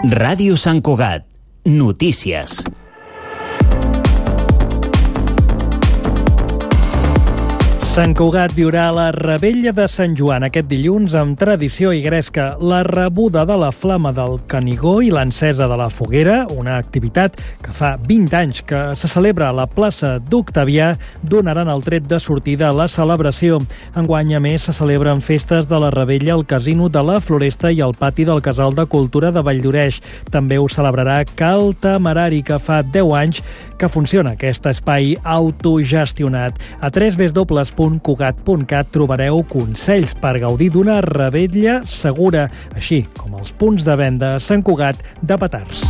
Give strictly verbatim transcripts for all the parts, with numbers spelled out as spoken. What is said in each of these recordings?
Ràdio Sant Cugat. Notícies. Sant Cugat viurà la Revetlla de Sant Joan aquest dilluns amb tradició i gresca. La rebuda de la flama del Canigó i l'encesa de la foguera, una activitat que fa vint anys que se celebra a la plaça d'Octavià, donaran el tret de sortida a la celebració. Enguany, a més, se celebren festes de la Revetlla al Casino de la Floresta i al pati del Casal de Cultura de Valldoreix. També ho celebrarà Cal Temerari, que fa deu anys que funciona aquest espai autogestionat. A w w w punt cugat punt cat trobareu consells per gaudir d'una revetlla segura, així com els punts de venda a Sant Cugat de petards.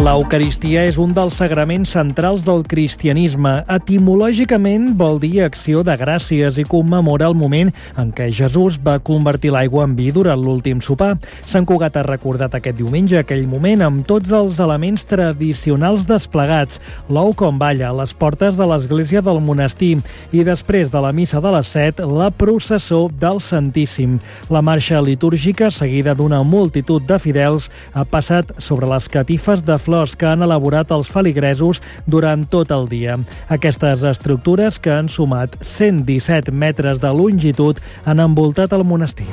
L'Eucaristia és un dels sagraments centrals del cristianisme. Etimològicament vol dir acció de gràcies i commemora el moment en què Jesús va convertir l'aigua en vi durant l'últim sopar. Sant Cugat ha recordat aquest diumenge aquell moment amb tots els elements tradicionals desplegats. L'ou com balla a les portes de l'església del monestir i després de la missa de les set, la processó del Santíssim. La marxa litúrgica, seguida d'una multitud de fidels, ha passat sobre les catifes de flors que han elaborat els feligresos durant tot el dia. Aquestes estructures, que han sumat cent disset metres de longitud, han envoltat el monestir.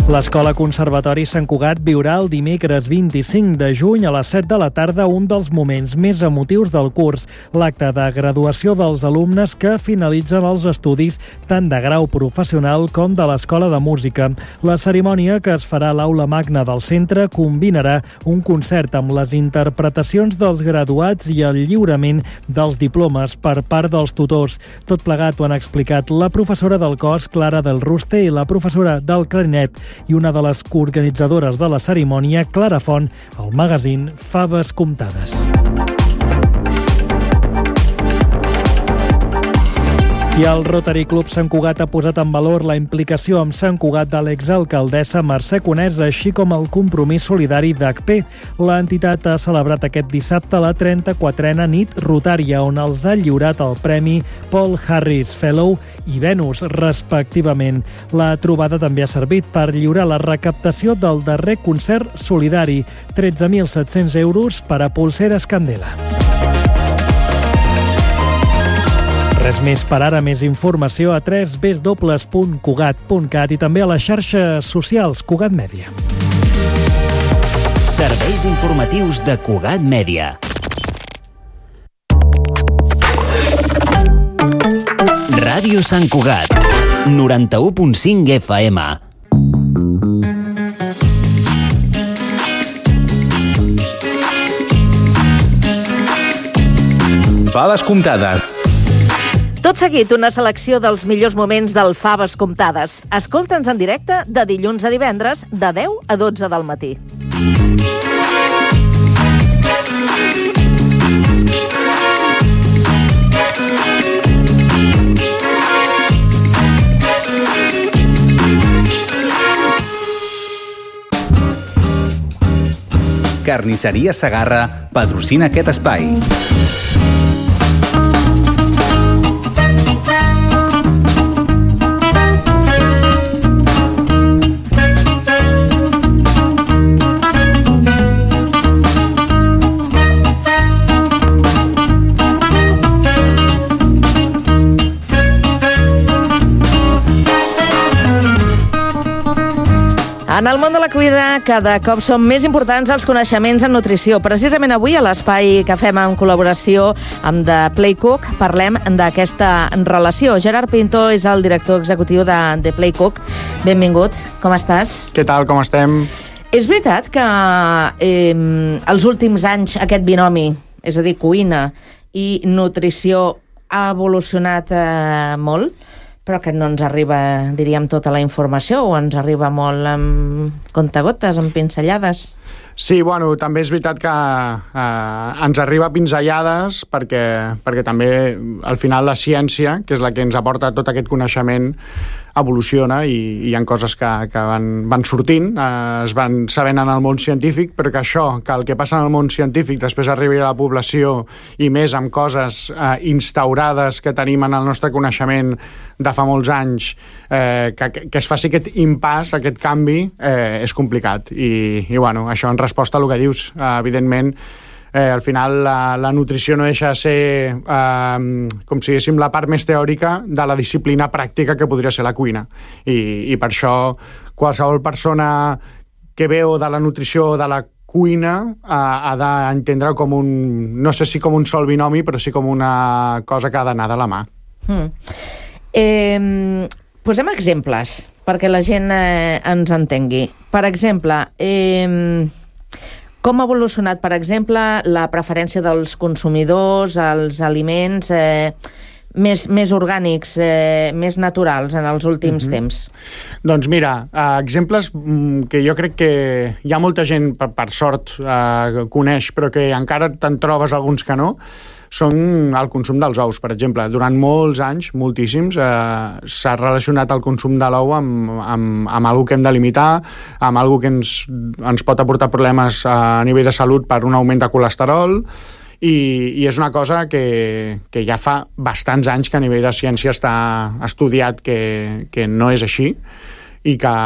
L'Escola Conservatori Sant Cugat viurà el dimecres vint-i-cinc de juny a les set de la tarda un dels moments més emotius del curs, l'acte de graduació dels alumnes que finalitzen els estudis tant de grau professional com de l'Escola de Música. La cerimònia, que es farà a l'Aula Magna del centre, combinarà un concert amb les interpretacions dels graduats i el lliurament dels diplomes per part dels tutors. Tot plegat ho han explicat la professora del cos, Clara del Ruste, i la professora del clarinet i una de les coorganitzadores de la cerimònia, Clara Font, al magazín Faves Comptades. I el Rotary Club Sant Cugat ha posat en valor la implicació amb Sant Cugat de l'exalcaldessa Mercè Conesa, així com el compromís solidari d'H P. L'entitat ha celebrat aquest dissabte la trenta-quatrena nit rotària, on els ha lliurat el premi Paul Harris Fellow i Venus, respectivament. La trobada també ha servit per lliurar la recaptació del darrer concert solidari, tretze mil set-cents euros per a Polseres Candela. Res més per ara, més informació a w w w punt cugat punt cat i també a les xarxes socials Cugat Mèdia. Serveis informatius de Cugat Mèdia. Ràdio Sant Cugat, noranta-u punt cinc F M. Faves Comptades. Tot seguit, una selecció dels millors moments del Faves Comptades. Escolta'ns en directe de dilluns a divendres, de deu a dotze del matí. Carnisseria Segarra patrocina aquest espai. En el món de la cuina, cada cop són més importants els coneixements en nutrició. Precisament avui, a l'espai que fem en col·laboració amb The Playcook, parlem d'aquesta relació. Gerard Pinto és el director executiu de The Playcook. Benvingut, com estàs? Què tal, com estem? És veritat que eh, els últims anys aquest binomi, és a dir, cuina i nutrició, ha evolucionat eh, molt? Però que no ens arriba, diríem, tota la informació, o ens arriba molt amb contagotes, amb pinzellades? Sí, bueno, també és veritat que eh, ens arriba pinzellades perquè, perquè també, al final, la ciència, que és la que ens aporta tot aquest coneixement, evoluciona i, i hi ha coses que, que van, van sortint, eh, es van sabent en el món científic, però que això, que el que passa en el món científic després arribi a la població i més amb coses eh, instaurades que tenim en el nostre coneixement de fa molts anys, eh, que, que es faci aquest impàs, aquest canvi, eh, és complicat. I, i bueno, això en resposta a el que dius, eh, evidentment, Eh, al final la, la nutrició no deixa de ser eh, com si diguéssim la part més teòrica de la disciplina pràctica que podria ser la cuina i, i per això qualsevol persona que veu de la nutrició o de la cuina eh, ha d'entendre com un, no sé si com un sol binomi, però sí com una cosa que ha d'anar de la mà. Hmm. Eh, posem exemples perquè la gent eh, ens entengui. Per exemple, eh, com ha evolucionat, per exemple, la preferència dels consumidors als aliments eh, més, més orgànics, eh, més naturals en els últims mm-hmm. temps? Doncs mira, eh, exemples que jo crec que hi ha molta gent, per, per sort, eh, coneix, però que encara te'n trobes alguns que no, són el consum dels ous, per exemple. Durant molts anys, moltíssims, eh, s'ha relacionat el consum de l'ou amb, amb, amb alguna que hem de limitar, amb alguna que ens, ens pot aportar problemes a nivell de salut per un augment de colesterol, i, i és una cosa que, que ja fa bastants anys que a nivell de ciència està estudiat que, que no és així i que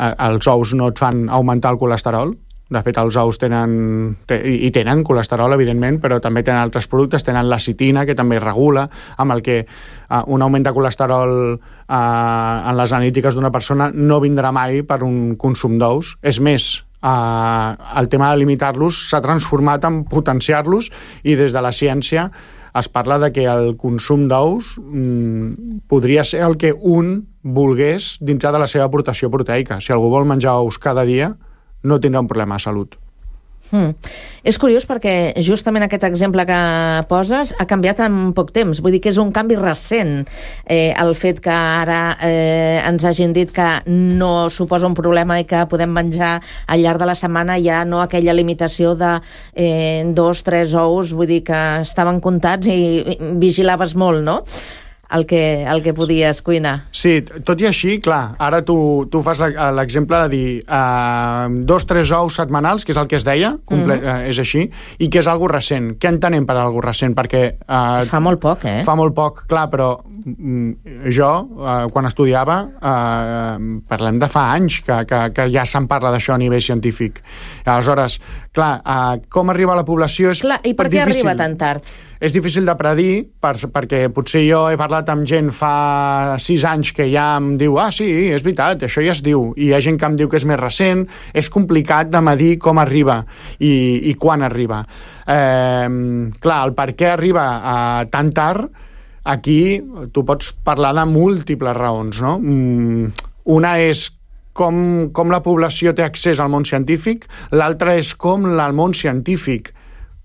els ous no et fan augmentar el colesterol. De fet, els ous tenen, i tenen colesterol, evidentment, però també tenen altres productes, tenen la citina, que també regula, amb el que uh, un augment de colesterol uh, en les analítiques d'una persona no vindrà mai per un consum d'ous. És més, uh, el tema de limitar-los s'ha transformat en potenciar-los, i des de la ciència es parla de que el consum d'ous mm, podria ser el que un volgués dintre de la seva aportació proteica. Si algú vol menjar ous cada dia, no tindrà un problema de salut. Hmm. És curiós perquè justament aquest exemple que poses ha canviat en poc temps. Vull dir que és un canvi recent, eh, el fet que ara eh, ens hagin dit que no suposa un problema i que podem menjar al llarg de la setmana, ja no aquella limitació de eh, dos, tres ous, vull dir que estaven comptats i vigilaves molt, no?, el que, el que podies cuinar. Sí, tot i així, clar, ara tu, tu fas l'exemple de dir uh, dos, tres ous setmanals, que és el que es deia, comple- mm-hmm. uh, és així, i que és algo recent. Què entenem per algo recent? Perquè... Uh, fa molt poc, eh? Fa molt poc, clar, però mm, jo, uh, quan estudiava, uh, parlem de fa anys que, que, que ja se'n parla d'això a nivell científic. Aleshores, clar, uh, com arriba a la població és clar, i per què difícil. Arriba tan tard? És difícil de predir, per, perquè potser jo he parlat amb gent fa sis anys que ja em diu, ah, sí, és veritat, això ja es diu, i hi ha gent que em diu que és més recent. És complicat de medir com arriba i, i quan arriba. Eh, clar, el per què arriba eh, tan tard, aquí tu pots parlar de múltiples raons, no? Mm, una és com, com la població té accés al món científic, l'altra és com el món científic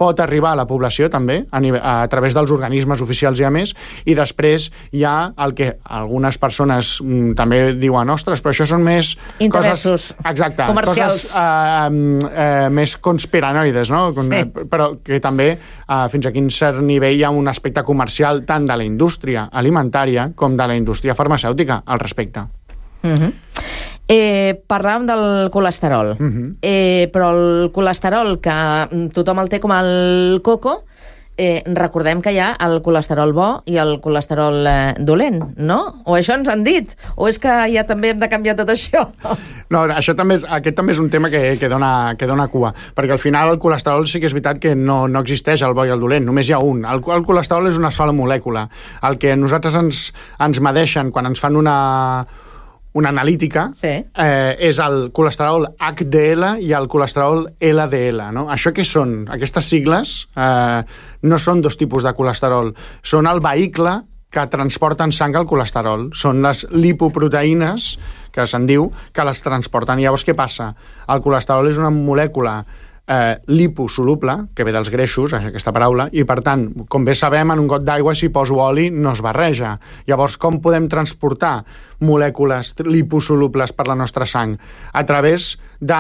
pot arribar a la població també, a, nivell, a través dels organismes oficials i a més, i després hi ha el que algunes persones mm, també diuen, ostres, però això són més interessos coses, exacte, comercials. Coses eh, eh, més conspiranoides, no? Sí. Però que també eh, fins a quin cert nivell hi ha un aspecte comercial tant de la indústria alimentària com de la indústria farmacèutica al respecte. Mhm. Eh, parlàvem del colesterol, uh-huh. eh, però el colesterol que tothom el té com el coco, eh, recordem que hi ha el colesterol bo i el colesterol eh, dolent, no? O això ens han dit, o és que ja també hem de canviar tot això? No, això també és, aquest també és un tema que, que, dona, que dona cua, perquè al final el colesterol sí que és veritat que no, no existeix el bo i el dolent, només hi ha un. El, el colesterol és una sola molècula. El que nosaltres ens, ens medeixen quan ens fan una... una analítica, sí. eh, és el colesterol H D L i el colesterol L D L. No? Això què són? Aquestes sigles eh, no són dos tipus de colesterol, són el vehicle que transporten sang al colesterol. Són les lipoproteïnes, que se'n diu, que les transporten. Llavors, què passa? El colesterol és una molècula eh, liposoluble, que ve dels greixos, aquesta paraula, i per tant, com bé sabem, en un got d'aigua si poso oli no es barreja. Llavors, com podem transportar molècules liposolubles per la nostra sang? A través de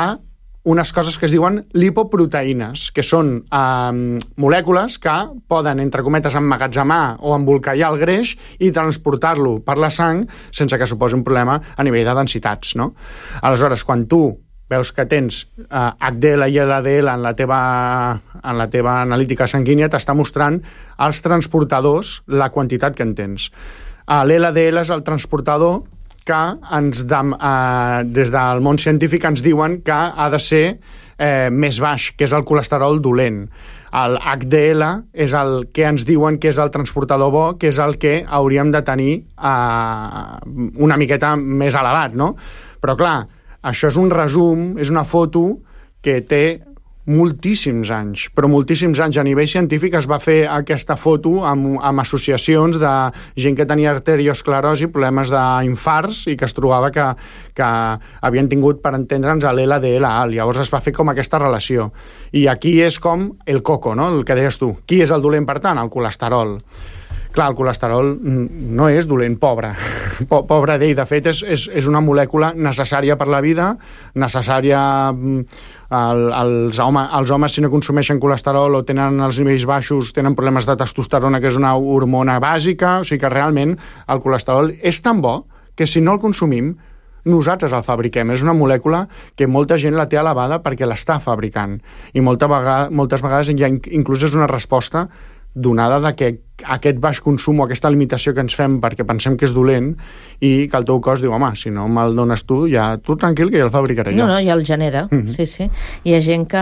unes coses que es diuen lipoproteïnes, que són eh, molècules que poden, entre cometes, emmagatzemar o embolcallar el greix i transportar-lo per la sang sense que suposi un problema a nivell de densitats, no? Aleshores, quan tu veus que tens eh, H D L i L D L en la teva, en la teva analítica sanguínia, t'està mostrant als transportadors la quantitat que en tens. Eh, L'L D L és el transportador que ens de, eh, des del món científic ens diuen que ha de ser eh, més baix, que és el colesterol dolent. El H D L és el que ens diuen que és el transportador bo, que és el que hauríem de tenir eh, una miqueta més elevat, no? Però clar, això és un resum, és una foto que té moltíssims anys, però moltíssims anys. A nivell científic es va fer aquesta foto amb, amb associacions de gent que tenia arteriosclerosi, problemes d'infarts i que es trobava que, que havien tingut, per entendre'ns, l'L D L alt. Llavors es va fer com aquesta relació. I aquí és com el coco, no? El que deies tu. Qui és el dolent, per tant? El colesterol. Clar, el colesterol no és dolent, pobre. Pobre d'ell. De fet, és, és, és una molècula necessària per la vida, necessària... El, els, home, els homes, si no consumeixen colesterol o tenen els nivells baixos, tenen problemes de testosterona, que és una hormona bàsica. O sigui que realment el colesterol és tan bo que si no el consumim, nosaltres el fabriquem. És una molècula que molta gent la té elevada perquè l'està fabricant. I molta vegada, moltes vegades ja inclús és una resposta donada de que aquest baix consum o aquesta limitació que ens fem perquè pensem que és dolent i que el teu cos diu, home, si no me'l dones tu, ja tu tranquil, que ja el fabricaré jo. No, no, ja el genera, mm-hmm. sí, sí. Hi ha gent que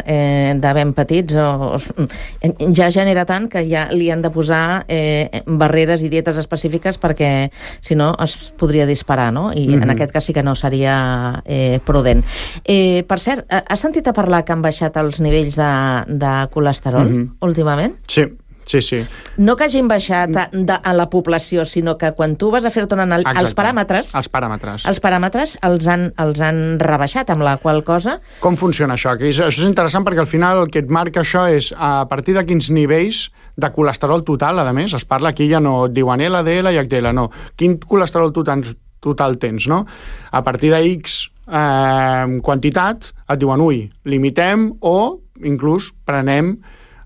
eh, de ben petits o, o, ja genera tant que ja li han de posar eh, barreres i dietes específiques perquè si no es podria disparar, no? I mm-hmm. en aquest cas sí que no seria eh, prudent. Eh, per cert, has sentit a parlar que han baixat els nivells de, de colesterol mm-hmm. últimament? Sí. Sí, sí. No que hagin baixat a, de, a la població, sinó que quan tu vas a fer-te una anàlisi... Els paràmetres... Els paràmetres. Els paràmetres els han, els han rebaixat, amb la qual cosa... Com funciona això? Que és, això és interessant perquè al final el que et marca això és a partir de quins nivells de colesterol total, a més, es parla aquí, ja no et diuen L D L i H D L, no. Quin colesterol total, total tens, no? A partir de X eh, quantitat et diuen, ui, limitem o inclús prenem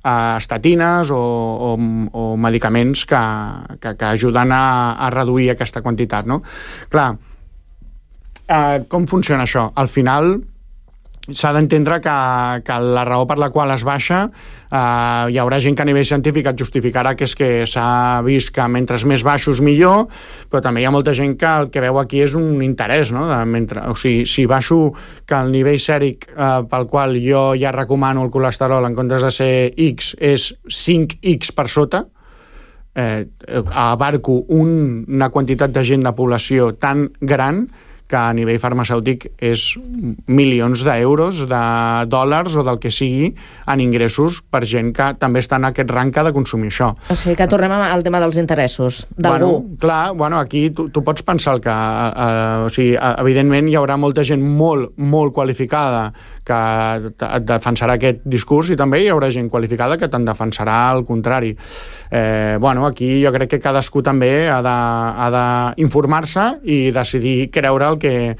Uh, estatines o, o, o medicaments que, que, que ajuden a, a reduir aquesta quantitat, no? Clar, uh, com funciona això? Al final s'ha d'entendre que, que la raó per la qual es baixa uh, hi haurà gent que a nivell científic et justificarà que és que s'ha vist que mentre més baixos millor, però també hi ha molta gent que el que veu aquí és un interès, no? De mentre, o sigui, si baixo que el nivell sèric uh, pel qual jo ja recomano el colesterol en comptes de ser X és cinc X per sota, eh, abarco un, una quantitat de gent de població tan gran que a nivell farmacèutic és milions d'euros, de dòlars o del que sigui en ingressos per gent que també està en aquest rang que ha de consumir això. O sigui que tornem al tema dels interessos d'algú. Bueno, clar, bueno, aquí tu, tu pots pensar que eh, o sigui, evidentment hi haurà molta gent molt, molt qualificada que et defensarà aquest discurs i també hi haurà gent qualificada que te'n defensarà el contrari. Eh, bueno, aquí jo crec que cadascú també ha d'informar-se i decidir creure el que,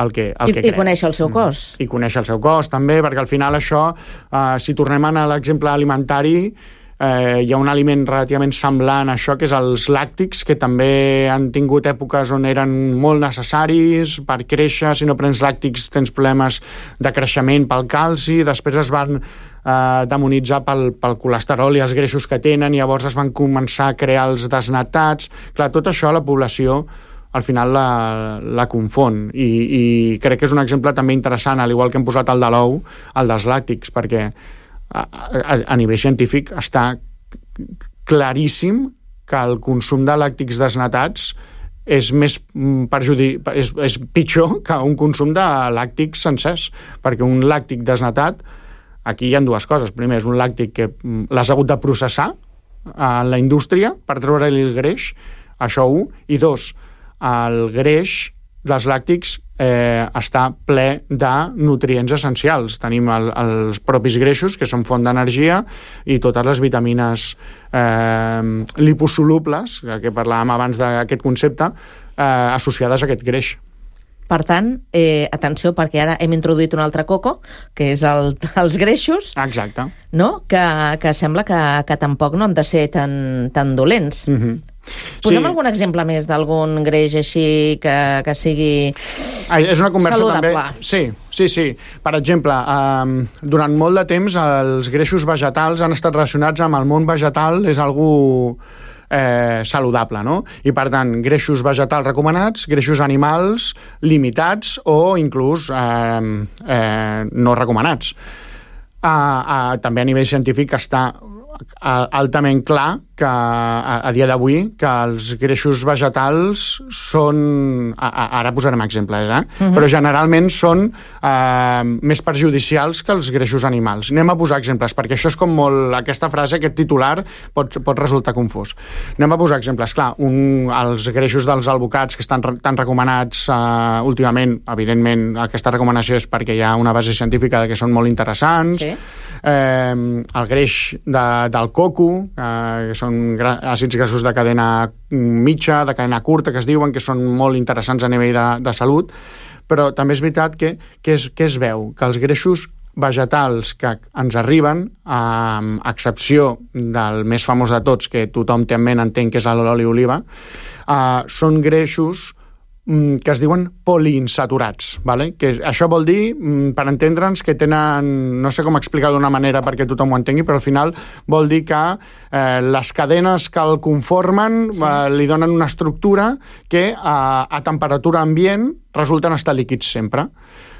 el que, el I, que I conèixer el seu cos. I conèixer el seu cos, també, perquè al final això, eh, si tornem a l'exemple alimentari, eh, hi ha un aliment relativament semblant a això, que és els làctics, que també han tingut èpoques on eren molt necessaris per créixer. Si no prens làctics tens problemes de creixement pel calci, després es van eh, demonitzar pel, pel colesterol i els greixos que tenen, i llavors es van començar a crear els desnatats. Clar, tot això la població al final la, la confon i, i crec que és un exemple també interessant, al igual que hem posat el de l'ou, el dels làctics, perquè a, a, a nivell científic està claríssim que el consum de làctics desnatats és més perjudic, és, és pitjor que un consum de làctics sencers, perquè un làctic desnatat, aquí hi ha dues coses. Primer, és un làctic que l'has hagut de processar en la indústria per treure-li el greix, això un, i dos, el greix dels làctics eh, està ple de nutrients essencials. Tenim el, els propis greixos, que són font d'energia, i totes les vitamines eh, liposolubles, que parlàvem abans d'aquest concepte, eh, associades a aquest greix. Per tant, eh, atenció, perquè ara hem introduït un altre coco, que és el, els greixos, Exacte. no? que, que sembla que, que tampoc no han de ser tan, tan dolents. Mhm. Posem Sí. algun exemple més d'algun greix així que, que sigui Ah, és una conversa saludable. també... Sí, sí, sí. Per exemple, um, durant molt de temps els greixos vegetals han estat relacionats amb el món vegetal, és algú eh, saludable, no? I per tant, greixos vegetals recomanats, greixos animals limitats o inclús eh, eh, no recomanats. Uh, uh, també a nivell científic està altament clar que a, a dia d'avui que els greixos vegetals són, a, a, ara posarem exemples, eh? Uh-huh. Però generalment són eh, més perjudicials que els greixos animals. Anem a posar exemples, perquè això és com molt, aquesta frase, aquest titular pot, pot resultar confús. Anem a posar exemples. Clar, un, els greixos dels alvocats que estan re, tan recomanats eh, últimament, evidentment aquesta recomanació és perquè hi ha una base científica de que són molt interessants. Sí. Eh, el greix de, del coco, eh, que són gra àcids grassos de cadena mitja, de cadena curta, que es diuen, que són molt interessants a nivell de, de salut, però també és veritat que, que, es, que es veu que els greixos vegetals que ens arriben, a excepció del més famós de tots, que tothom té en ment, entenc que és l'oli oliva, eh, són greixos que es diuen poliinsaturats, ¿vale? Que això vol dir, per entendre'ns, que tenen, no sé com explicar d'una manera perquè tothom ho entengui, però al final vol dir que eh, les cadenes que el conformen sí. eh, li donen una estructura que a, a temperatura ambient resulten estar líquids sempre.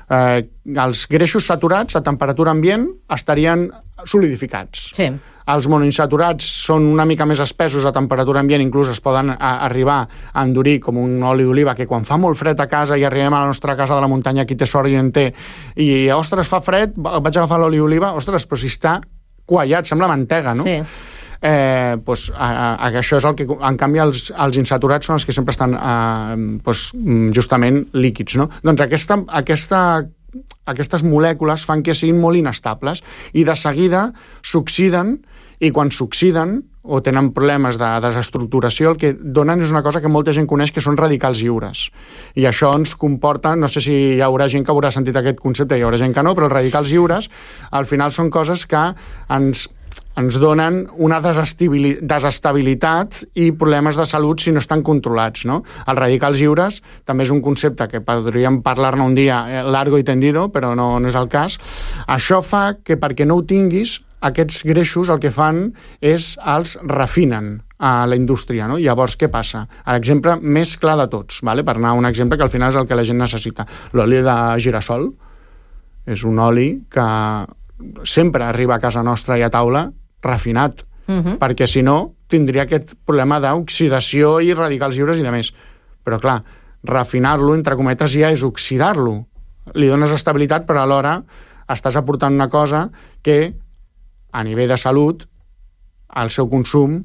Eh, els greixos saturats a temperatura ambient estarien solidificats. Sí. Els monoinsaturats són una mica més espessos a temperatura ambient, inclús es poden a, arribar a endurir com un oli d'oliva, que quan fa molt fred a casa i arribem a la nostra casa de la muntanya, qui té sort i en té, i ostres, fa fred, vaig agafar l'oli d'oliva, ostres, però si està quallat, sembla mantega, no? Sí. Eh, pues, a, a, això és el que, en canvi, els, els insaturats són els que sempre estan eh, pues, justament líquids, no? Doncs aquesta, aquesta aquestes molècules fan que siguin molt inestables i de seguida s'oxiden, i quan s'oxiden o tenen problemes de desestructuració, el que donen és una cosa que molta gent coneix, que són radicals lliures. I això ens comporta, no sé si hi haurà gent que haurà sentit aquest concepte, hi haurà gent que no, però els radicals lliures al final són coses que ens ens donen una desestabilitat i problemes de salut si no estan controlats, no? Els radicals lliures també és un concepte que podríem parlar-ne un dia largo i tendido, però no, no és el cas. Això fa que perquè no ho tinguis, aquests greixos el que fan és els refinen a la indústria, no? Llavors, què passa? L'exemple més clar de tots, vale? Per anar a un exemple que al final és el que la gent necessita. L'oli de girassol és un oli que sempre arriba a casa nostra i a taula refinat, uh-huh. perquè si no tindria aquest problema d'oxidació i radicals lliures i de més. Però clar, refinar-lo, entre cometes, ja és oxidar-lo. Li dones estabilitat, però alhora estàs aportant una cosa que a nivell de salut el seu consum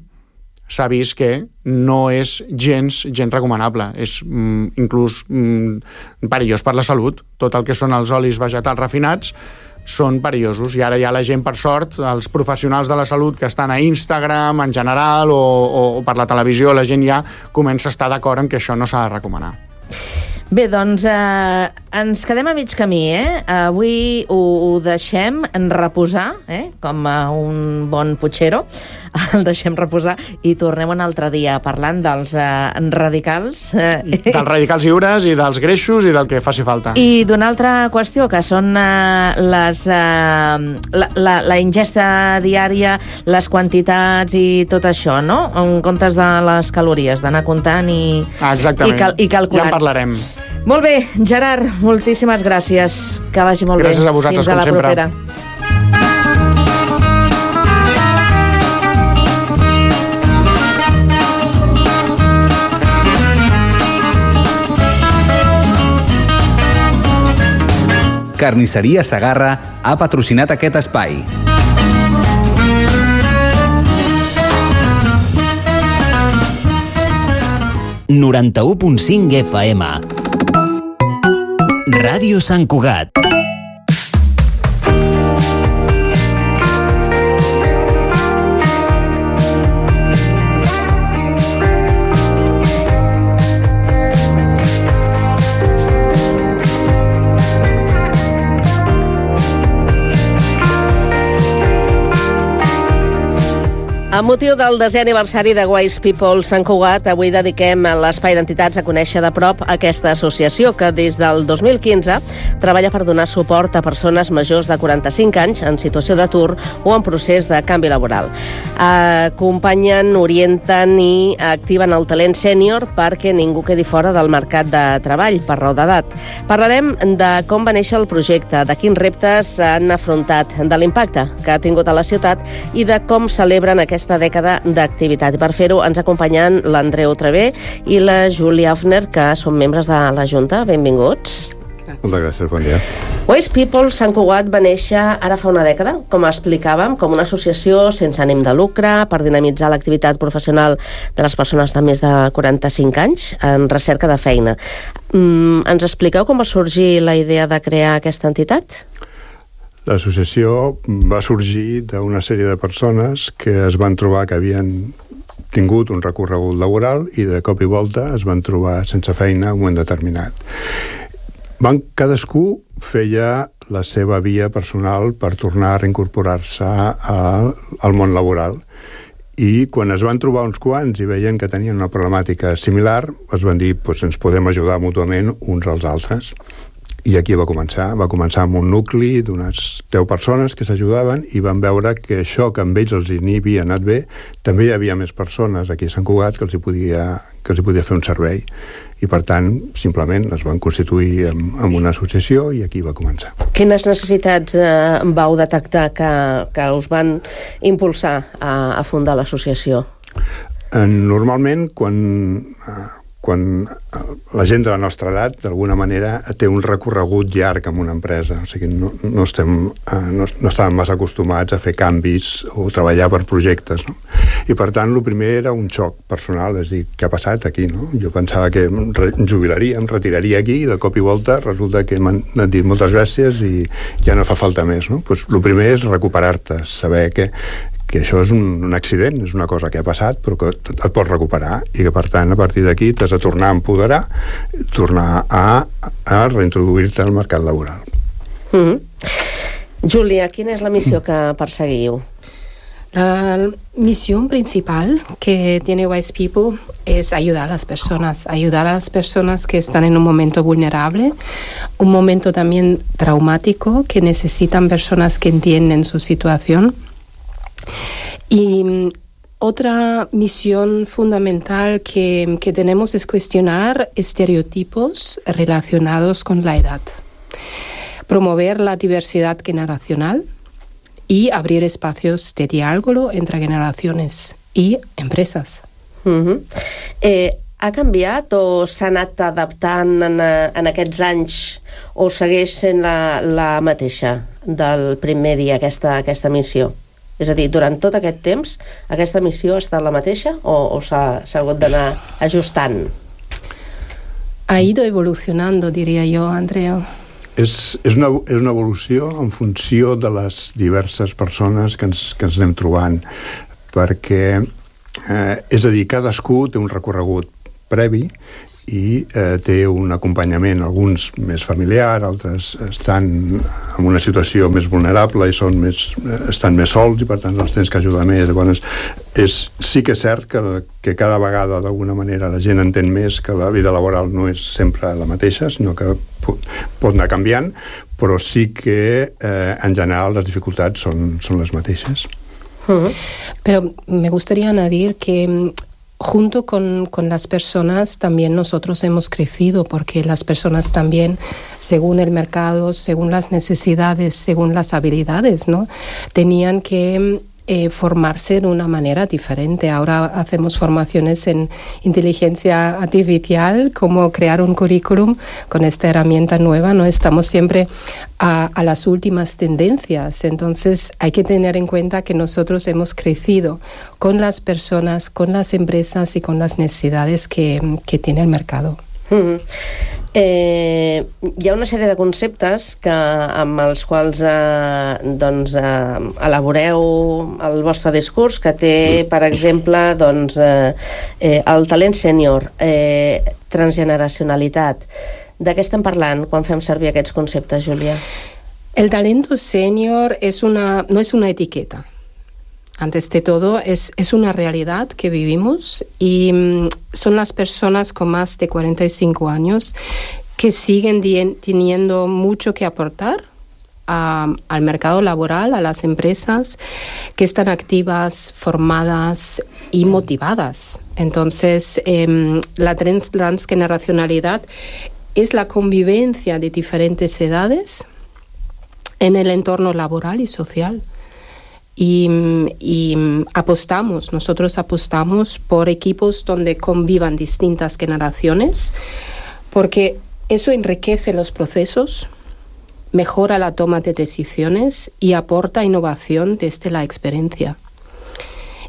s'ha vist que no és gens, gens recomanable. És mm, inclús mm, perillós per la salut. Tot el que són els olis vegetals refinats són perillosos. I ara ja la gent, per sort, els professionals de la salut que estan a Instagram, en general, o, o, o per la televisió, la gent ja comença a estar d'acord en que això no s'ha de recomanar. Bé, doncs eh, ens quedem a mig camí, eh? Avui ho, ho deixem en reposar, eh? Com a un bon putxero, el deixem reposar i tornem un altre dia parlant dels eh, radicals. Eh? Dels radicals lliures i dels greixos i del que faci falta. I d'una altra qüestió, que són eh, les, eh, la, la, la ingesta diària, les quantitats i tot això, no? En comptes de les calories, d'anar comptant i, ah, i, cal, i calculant. Ja en parlarem. Molt bé, Gerard, moltíssimes gràcies. Que vagi molt gràcies bé. A vosaltres, fins a la com sempre. propera. Carnisseria Segarra ha patrocinat aquest espai. noranta-u punt cinc F M. Ràdio Sant Cugat. Amb motiu del desè aniversari de Wise People Sant Cugat, avui dediquem l'Espai d'Entitats a conèixer de prop aquesta associació que des del dos mil quinze treballa per donar suport a persones majors de quaranta-cinc anys en situació d'atur o en procés de canvi laboral. Acompanyen, orienten i activen el talent sènior perquè ningú quedi fora del mercat de treball per raó d'edat. Parlarem de com va néixer el projecte, de quins reptes han afrontat, de l'impacte que ha tingut a la ciutat i de com celebren aquesta aquesta dècada d'activitat. I per fer-ho ens acompanyen l'Andreu Trevé i la Júlia Hafner, que són membres de la Junta. Benvinguts. Moltes gràcies, bon dia. Wise People Sant Cugat va néixer ara fa una dècada, com explicàvem, com una associació sense ànim de lucre per dinamitzar l'activitat professional de les persones de més de quaranta-cinc anys en recerca de feina. Mm, ens expliqueu com va sorgir la idea de crear aquesta entitat? L'associació va sorgir d'una sèrie de persones que es van trobar que havien tingut un recorregut laboral i de cop i volta es van trobar sense feina en un moment determinat. Van, cadascú feia la seva via personal per tornar a reincorporar-se al, al món laboral. I quan es van trobar uns quants i veien que tenien una problemàtica similar, es van dir, doncs ens podem ajudar mútuament uns als altres. I aquí va començar. Va començar amb un nucli d'unes deu persones que s'ajudaven i van veure que això que amb ells els hi havia anat bé, també hi havia més persones aquí a Sant Cugat que els hi podia, que els hi podia fer un servei. I per tant, simplement es van constituir en, en una associació i aquí va començar. Quines necessitats eh, vau detectar que, que us van impulsar a, a fundar l'associació? Eh, normalment, quan... Eh, quan la gent de la nostra edat, d'alguna manera, té un recorregut llarg amb una empresa. O sigui, no, no, estem, no, no estàvem massa acostumats a fer canvis o treballar per projectes, no? I, per tant, el primer era un xoc personal, és a dir, què ha passat aquí, no? Jo pensava que em jubilaria, em retiraria aquí, i de cop i volta resulta que m'han dit moltes gràcies i ja no fa falta més, no? Pues, el primer és recuperar-te, saber que que això és un, un accident, és una cosa que ha passat, però que et pots recuperar i que, per tant, a partir d'aquí t'has de tornar a empoderar, tornar a, a reintroduir-te al mercat laboral. Mm-hmm. Júlia, quina és la missió que perseguiu? La misión principal que tiene Wise People es ayudar a las personas, ayudar a las personas que están en un momento vulnerable, un momento también traumático, que necesitan personas que entienden su situación. Y otra misión fundamental que, que tenemos es cuestionar estereotipos relacionados con la edad, promover la diversidad generacional y abrir espacios de diálogo entre generaciones y empresas. Uh-huh. Eh, ha canviat o s'ha anat adaptant en, en aquests anys o segueix sent la, la mateixa del primer dia, aquesta, aquesta missió? És a dir, durant tot aquest temps, aquesta missió ha estat la mateixa o, o s'ha, s'ha hagut d'anar ajustant? Ha ido evolucionando, diria jo, Andreu. És, és, una, és una evolució en funció de les diverses persones que ens, que ens anem trobant, perquè, eh, és a dir, cadascú té un recorregut previ i eh, té un acompanyament, alguns més familiar, altres estan en una situació més vulnerable i són més, estan més sols i per tant els tens que ajudar més. Llavors, és, sí que és cert que, que cada vegada d'alguna manera la gent entén més que la vida laboral no és sempre la mateixa, sinó que pot, pot anar canviant, però sí que eh, en general les dificultats són, són les mateixes. Uh-huh. Pero me gustaría añadir que junto con, con las personas también nosotros hemos crecido, porque las personas también, según el mercado, según las necesidades, según las habilidades, ¿no?, tenían que eh, formarse de una manera diferente. Ahora hacemos formaciones en inteligencia artificial, cómo crear un currículum con esta herramienta nueva, ¿no? Estamos siempre a, a las últimas tendencias. Entonces hay que tener en cuenta que nosotros hemos crecido con las personas, con las empresas y con las necesidades que, que tiene el mercado. Mm-hmm. Eh, hi ha una sèrie de conceptes que, amb els quals eh, doncs, eh, elaboreu el vostre discurs, que té, per exemple, doncs, eh, eh, el talent sènior, eh, transgeneracionalitat. De què estem parlant quan fem servir aquests conceptes, Júlia? El talento senior es una, no es una etiqueta. antes de todo, es, es una realidad que vivimos y mm, son las personas con más de cuarenta y cinco años que siguen dien, teniendo mucho que aportar a, al mercado laboral, a las empresas que están activas, formadas y motivadas. Entonces, eh, la trans, transgeneracionalidad es la convivencia de diferentes edades en el entorno laboral y social. Y, y apostamos, nosotros apostamos por equipos donde convivan distintas generaciones, porque eso enriquece los procesos, mejora la toma de decisiones y aporta innovación desde la experiencia.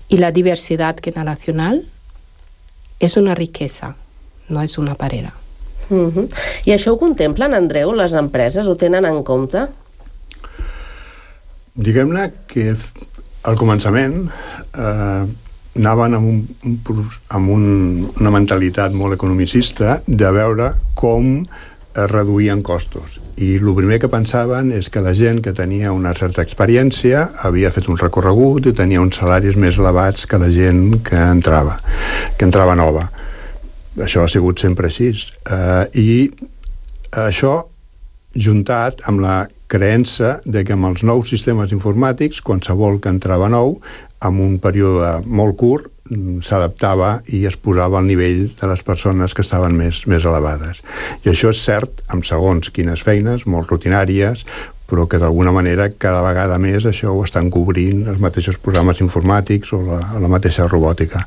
Y la diversidad generacional és una riquesa, no és una parera. Uh-huh. I això ho contemplen, Andreu, les empreses? Ho tenen en compte? Diguem-ne que al començament eh, anaven amb, un, un, amb un, una mentalitat molt economicista de veure com es reduïen costos. I el primer que pensaven és que la gent que tenia una certa experiència havia fet un recorregut i tenia uns salaris més elevats que la gent que entrava, que entrava nova. Això ha sigut sempre així. Eh, I això juntat amb la creença de que amb els nous sistemes informàtics, qualsevol que entrava nou, en un període molt curt, s'adaptava i es posava al nivell de les persones que estaven més, més elevades. I això és cert amb segons quines feines, molt rutinàries, però que d'alguna manera cada vegada més això ho estan cobrint els mateixos programes informàtics o la, la mateixa robòtica.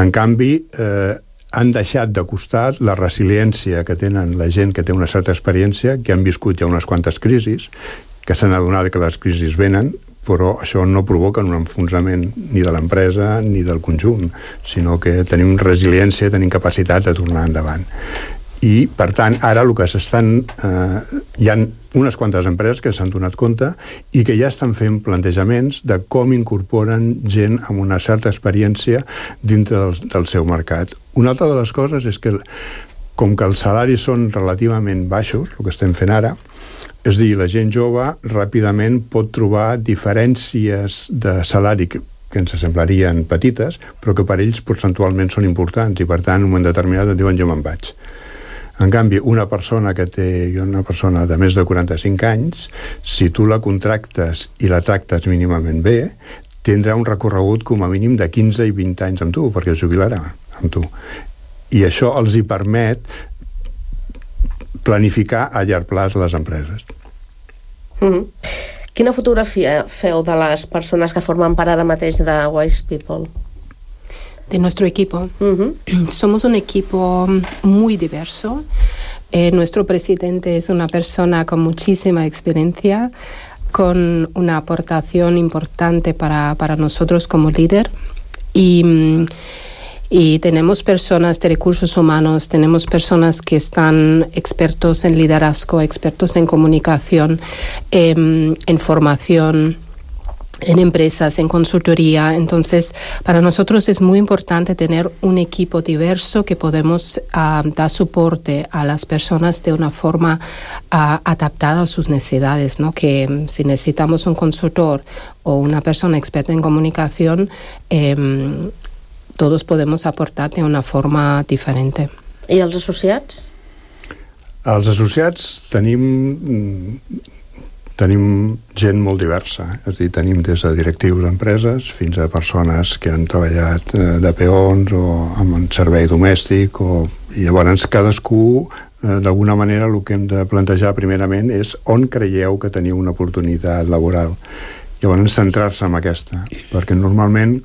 En canvi, eh, han deixat de costat la resiliència que tenen la gent que té una certa experiència, que han viscut ja unes quantes crisis, que s'han adonat que les crisis venen, però això no provoca un enfonsament ni de l'empresa ni del conjunt, sinó que tenim resiliència, tenim capacitat de tornar endavant. I, per tant, ara el que s'estan... Eh, hi ha unes quantes empreses que s'han donat compte i que ja estan fent plantejaments de com incorporen gent amb una certa experiència dintre del, del seu mercat. Una altra de les coses és que, com que els salaris són relativament baixos, el que estem fent ara, és dir, la gent jove ràpidament pot trobar diferències de salari que, que ens semblarien petites, però que per ells percentualment són importants i, per tant, en un moment determinat et diuen jo me'n vaig. En canvi, una persona que té una persona de més de quaranta-cinc anys, si tu la contractes i la tractes mínimament bé, tindrà un recorregut com a mínim de quinze i vint anys amb tu, perquè es jubilarà amb tu. I això els hi permet planificar a llarg plaç les empreses. Mm-hmm. Quina fotografia feu de les persones que formen part ara mateix de Wise People? De nuestro equipo. Uh-huh. Somos un equipo muy diverso. Eh, nuestro presidente es una persona con muchísima experiencia, con una aportación importante para, para nosotros como líder. Y, y tenemos personas de recursos humanos, tenemos personas que están expertos en liderazgo, expertos en comunicación, eh, en formación, en empresas, en consultoría. Entonces, para nosotros es muy importante tener un equipo diverso que podemos uh, dar soporte a las personas de una forma uh, adaptada a sus necesidades, ¿no? Que um, si necesitamos un consultor o una persona experta en comunicación, eh, todos podemos aportar de una forma diferente. I els associats? Els associats tenim... Tenim gent molt diversa, és a dir, tenim des de directius d'empreses fins a persones que han treballat de peons o amb un servei domèstic, o... i llavors cadascú, d'alguna manera, el que hem de plantejar primerament és on creieu que teniu una oportunitat laboral. Llavors centrar-se en aquesta, perquè normalment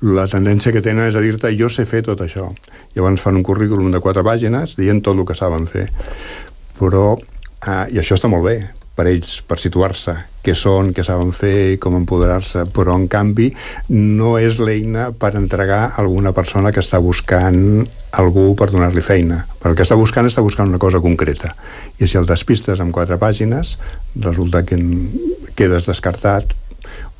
la tendència que tenen és a dir-te jo sé fer tot això. Llavors fan un currículum de quatre pàgines dient tot el que saben fer. Però, eh, i això està molt bé, per ells, per situar-se, què són, què saben fer i com empoderar-se, però en canvi no és l'eina per entregar a alguna persona que està buscant algú per donar-li feina. Perquè el que està buscant està buscant una cosa concreta. I si el despistes amb quatre pàgines, resulta que quedes descartat,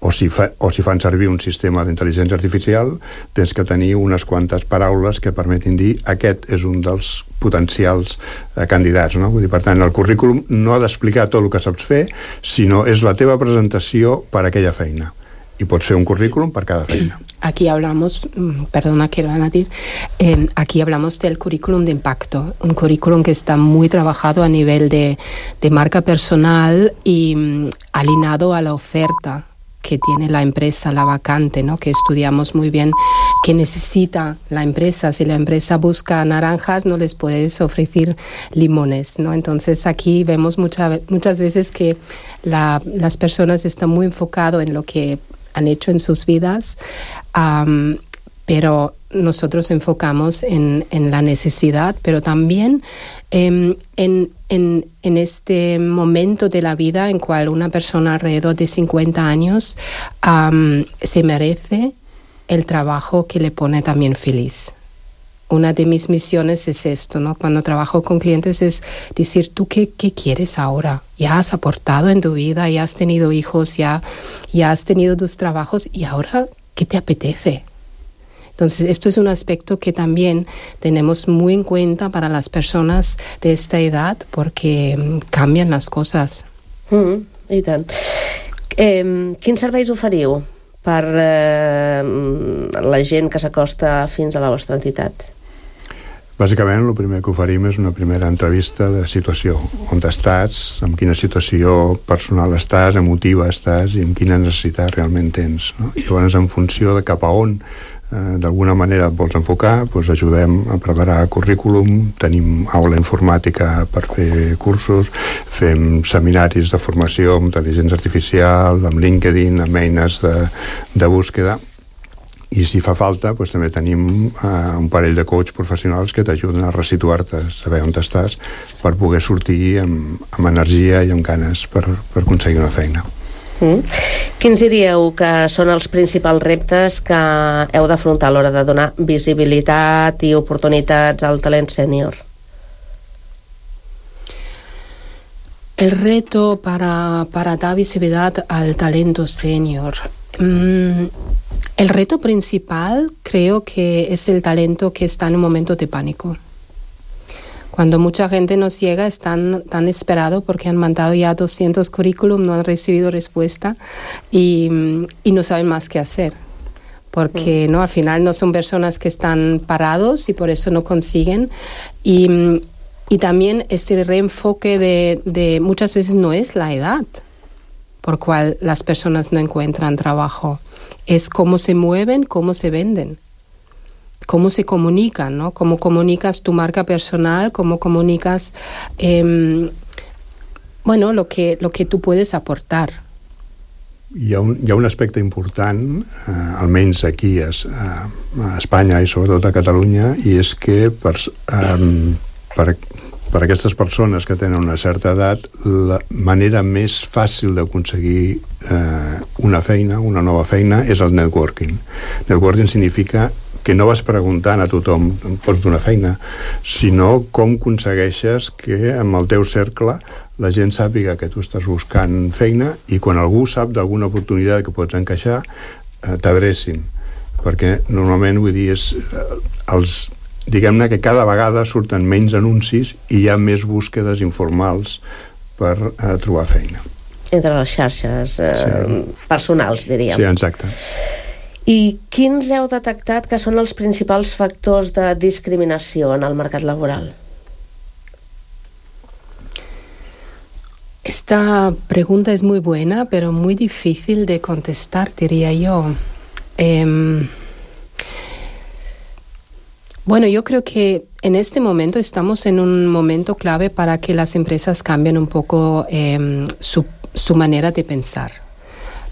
o si, fa, o si fan servir un sistema d'intel·ligència artificial, tens que tenir unes quantes paraules que permetin dir aquest és un dels potencials eh, candidats, no? Vull dir, per tant, el currículum no ha d'explicar tot el que saps fer, sinó és la teva presentació per a aquella feina. i pots fer un currículum per cada feina. Aquí hablamos, perdona que lo van a decir, eh, aquí hablamos del currículum de impacto, un currículum que está muy trabajado a nivel de, de marca personal y um, alineado a la oferta que tiene la empresa, la vacante, ¿no? Que estudiamos muy bien qué necesita la empresa. Si la empresa busca naranjas, no les puedes ofrecer limones, ¿no? Entonces aquí vemos mucha, muchas veces que la, las personas están muy enfocadas en lo que han hecho en sus vidas, um, pero nosotros enfocamos en, en la necesidad, pero también eh, en, en, en este momento de la vida en cual una persona alrededor de cincuenta años um, se merece el trabajo que le pone también feliz. Una de mis misiones es esto, ¿no? Cuando trabajo con clientes es decir, ¿tú qué, qué quieres ahora? Ya has aportado en tu vida, ya has tenido hijos, ya, ya has tenido tus trabajos y ahora, ¿qué te apetece? Entonces, esto es un aspecto que también tenemos muy en cuenta para las personas de esta edad porque cambian las cosas. Mm, I tant. Eh, quins serveis oferiu per eh, la gent que s'acosta fins a la vostra entitat? Bàsicament, el primer que oferim és una primera entrevista de situació. On estàs, en quina situació personal estàs, emotiva estàs i en quina necessitat realment tens, no? I llavors, en funció de cap a on eh, d'alguna manera et vols enfocar, doncs ajudem a preparar currículum, tenim aula informàtica per fer cursos, fem seminaris de formació amb intel·ligència artificial, amb LinkedIn, amb eines de, de búsqueda. I si fa falta, doncs també tenim eh, un parell de coach professionals que t'ajuden a resituar-te, a saber on estàs, per poder sortir amb, amb energia i amb ganes per, per aconseguir una feina. Mm. Quins diríeu que són els principals reptes que heu d'afrontar a l'hora de donar visibilitat i oportunitats al talent sènior? El reto para, para dar visibilidad al talento senior. Mm, el reto principal creo que es el talento que está en un momento de pánico. Cuando mucha gente nos llega están tan esperados porque han mandado ya doscientos currículum, no han recibido respuesta y, y no saben más qué hacer. Porque mm. no, al final no son personas que están parados y por eso no consiguen. Y, y también este reenfoque de, de muchas veces no es la edad por cual las personas no encuentran trabajo. Es cómo se mueven, cómo se venden, cómo se comunican, ¿no? Cómo comunicas tu marca personal, cómo comunicas, eh, bueno, lo que, lo que tú puedes aportar. Hi ha un, hi ha un aspecte important, eh, almenys aquí a, a Espanya i sobretot a Catalunya, i és que per, eh, per, per aquestes persones que tenen una certa edat, la manera més fàcil d'aconseguir eh, una feina, una nova feina, és el networking. Networking significa que no vas preguntant a tothom em pots donar feina, sinó com aconsegueixes que amb el teu cercle la gent sàpiga que tu estàs buscant feina i quan algú sap d'alguna oportunitat que pots encaixar, eh, t'adrecin. Perquè normalment, vull dir, és, eh, els, diguem-ne que cada vegada surten menys anuncis i hi ha més búsquedes informals per eh, trobar feina. Entre les xarxes eh, sí. personals, diríem. Sí, exacte. I quins heu detectat que són els principals factors de discriminació en el mercat laboral? Esta pregunta es muy buena, pero muy difícil de contestar, diría yo. Eh, bueno, yo creo que en este momento estamos en un momento clave para que las empresas cambien un poco eh, su, su manera de pensar.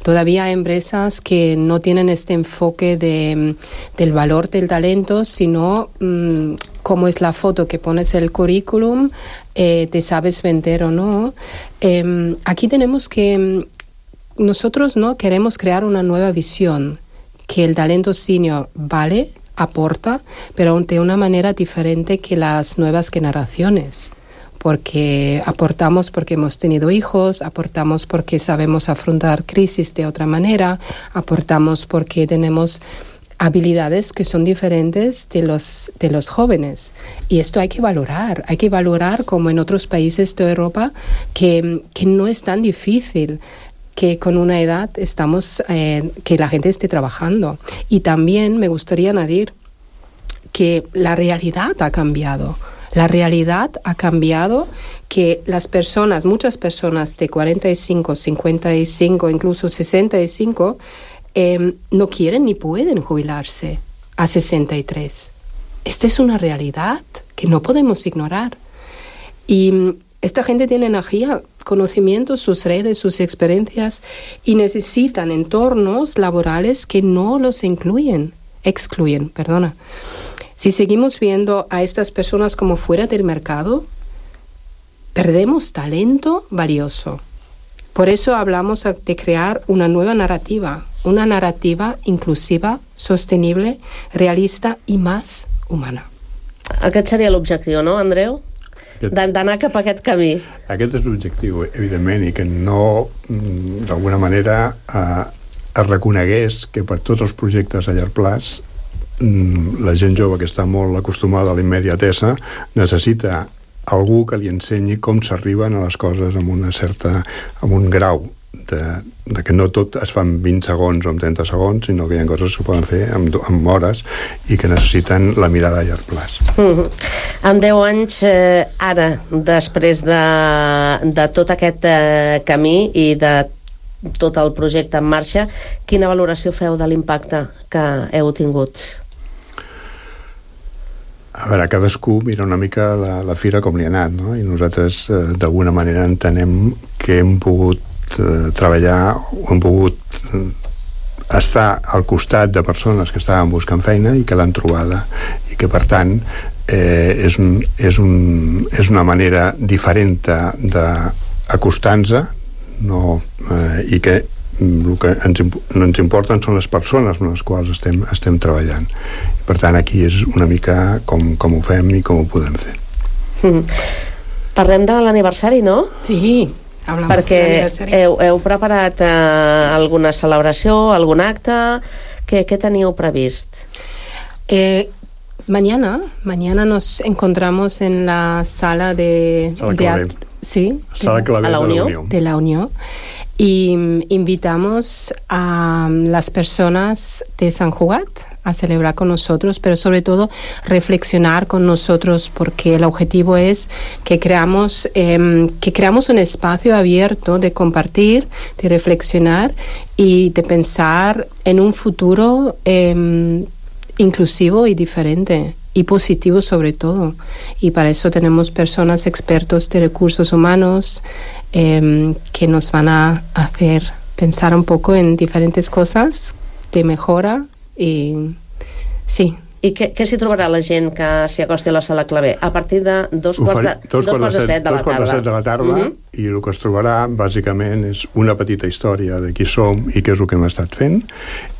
Todavía hay empresas que no tienen este enfoque de, del valor del talento, sino mmm, cómo es la foto que pones en el currículum, eh, te sabes vender o no. Eh, aquí tenemos que, nosotros no queremos crear una nueva visión, que el talento senior vale, aporta, pero de una manera diferente que las nuevas generaciones. Porque aportamos porque hemos tenido hijos, aportamos porque sabemos afrontar crisis de otra manera, aportamos porque tenemos habilidades que son diferentes de los, de los jóvenes. Y esto hay que valorar, hay que valorar como en otros países de Europa que, que no es tan difícil que con una edad estamos, eh, que la gente esté trabajando. Y también me gustaría añadir que la realidad ha cambiado. La realidad ha cambiado, que las personas, muchas personas de cuarenta y cinco, cincuenta y cinco, incluso sesenta y cinco, eh, no quieren ni pueden jubilarse a sesenta y tres. Esta es una realidad que no podemos ignorar. Y esta gente tiene energía, conocimientos, sus redes, sus experiencias, y necesitan entornos laborales que no los incluyen, excluyen, perdona. Si seguimos viendo a estas personas como fuera del mercado, perdemos talento valioso. Por eso hablamos de crear una nueva narrativa, una narrativa inclusiva, sostenible, realista i més humana. Aquest seria l'objectiu, no, Andreu? D'anar cap a aquest camí. Aquest és l'objectiu, evidentment, i que no, d'alguna manera, eh, es reconegués que per tots els projectes a llarg plaç la gent jove que està molt acostumada a la immediatesa necessita algú que li ensenyi com s'arriben a les coses amb una certa, amb un grau de, de que no tot es fa en vint segons o en trenta segons, sinó que hi ha coses que es poden fer en, en hores i que necessiten la mirada a llarg plaç. Mm-hmm. En deu anys, eh, ara, després de, de tot aquest eh, camí i de tot el projecte en marxa, quina valoració feu de l'impacte que heu tingut? A veure, cadascú mira una mica la, la fira com li ha anat, no? I nosaltres eh, d'alguna manera entenem que hem pogut eh, treballar o hem pogut eh, estar al costat de persones que estaven buscant feina i que l'han trobada, i que per tant eh, és, un, és, un, és una manera diferent d'acostar-nos, no, eh, i que el que ens, ens importen són les persones amb les quals estem, estem treballant. Per tant, aquí és una mica com, com ho fem i com ho podem fer. Mm. Parlem de l'aniversari, no? Sí, hablamos perquè de l'aniversari. heu, heu preparat eh, alguna celebració, algun acte? Què, què teníeu previst? Eh, mañana, mañana nos encontramos en la sala de... Sala de Clavé. Sí. Sala Clavé de la Unió. De la Unión. Y invitamos a las personas de Sant Cugat a celebrar con nosotros, pero sobre todo reflexionar con nosotros, porque el objetivo es que creamos, eh, que creamos un espacio abierto de compartir, de reflexionar y de pensar en un futuro eh, inclusivo y diferente. Y positivo sobre todo. Y para eso tenemos personas expertos de recursos humanos eh, que nos van a hacer pensar un poco en diferentes cosas de mejora y sí. I què, què s'hi trobarà la gent que s'hi acosti a la Sala Clavé? A partir de dos quarts de, dos quarts de set de la tarda. de la tarda, uh-huh. I el que es trobarà, bàsicament, és una petita història de qui som i què és el que hem estat fent,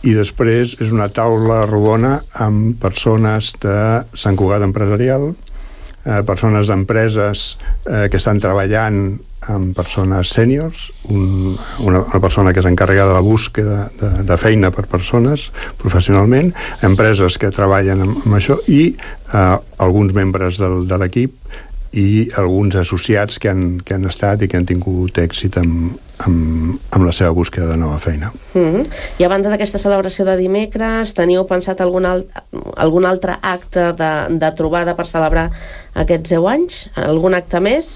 i després és una taula rodona amb persones de Sant Cugat Empresarial, eh, persones d'empreses eh, que estan treballant amb persones sèniors, un, una, una persona que és encarregada de la búsqueda de, de feina per persones professionalment, empreses que treballen amb, amb això, i eh, alguns membres del, de l'equip i alguns associats que han, que han estat i que han tingut èxit amb, amb, amb la seva búsqueda de nova feina. Mm-hmm. I a banda d'aquesta celebració de dimecres, teniu pensat algun, alt, algun altre acte de, de trobada per celebrar aquests deu anys? Algun acte més?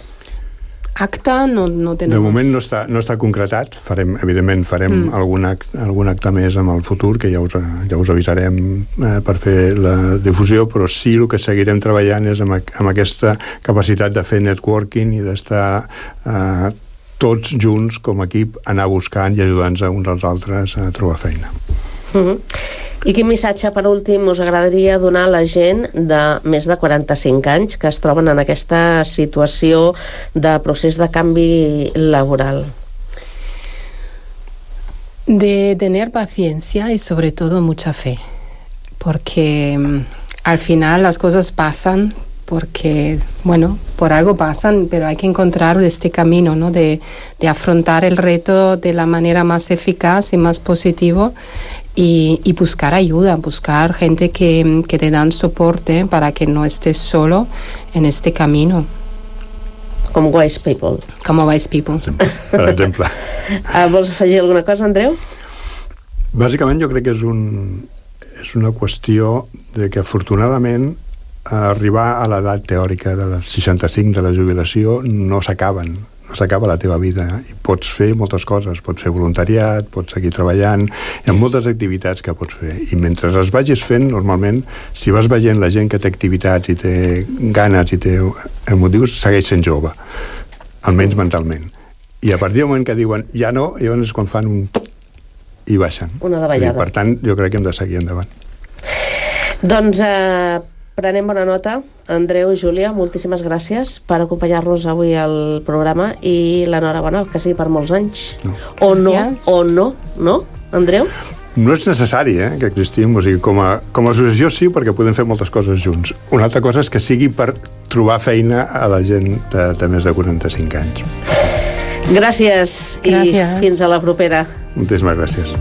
Acta no, no tenemos. De moment no està, no està concretat. Farem, evidentment farem mm. algun, act, algun acte més en el futur, que ja us, ja us avisarem eh, per fer la difusió, però sí el que seguirem treballant és amb, amb aquesta capacitat de fer networking i d'estar eh, tots junts com a equip, anar buscant i ajudant-nos uns als altres a trobar feina. Mm-hmm. I quin missatge, per últim, us agradaria donar a la gent de més de quaranta-cinc anys que es troben en aquesta situació de procés de canvi laboral? De tener paciencia y sobre todo mucha fe, porque al final las cosas pasan porque, bueno, por algo pasan, pero hay que encontrar este camino, ¿no? De, de afrontar el reto de la manera más eficaz y más positivo y, y buscar ayuda, buscar gente que, que te dan soporte para que no estés solo en este camino. Com Wise People. Com Wise People. Per exemple. uh, vols afegir alguna cosa, Andreu? Bàsicament jo crec que és, un, és una qüestió de que afortunadament arribar a l'edat teòrica de les seixanta-cinc de la jubilació no s'acaben, no s'acaba la teva vida, i pots fer moltes coses, pots fer voluntariat, pots seguir treballant, hi ha moltes activitats que pots fer, i mentre les vagis fent, normalment, si vas veient la gent que té activitats i té ganes i té motius, segueix sent jove, almenys mentalment, i a partir del moment que diuen ja no, llavors és quan fan un... i baixen. Una davallada. Per tant, jo crec que hem de seguir endavant. Doncs eh, prenem bona nota. Andreu i Júlia, moltíssimes gràcies per acompanyar-nos avui al programa i l'enhorabona, que sigui per molts anys. No. O no, Gràcies. o no, no, Andreu? No és necessari, eh, que existim, o sigui, com a, com a associació sí, perquè podem fer moltes coses junts. Una altra cosa és que sigui per trobar feina a la gent de, de més de quaranta-cinc anys. Gràcies, Gràcies. I fins a la propera. Moltíssimes gràcies.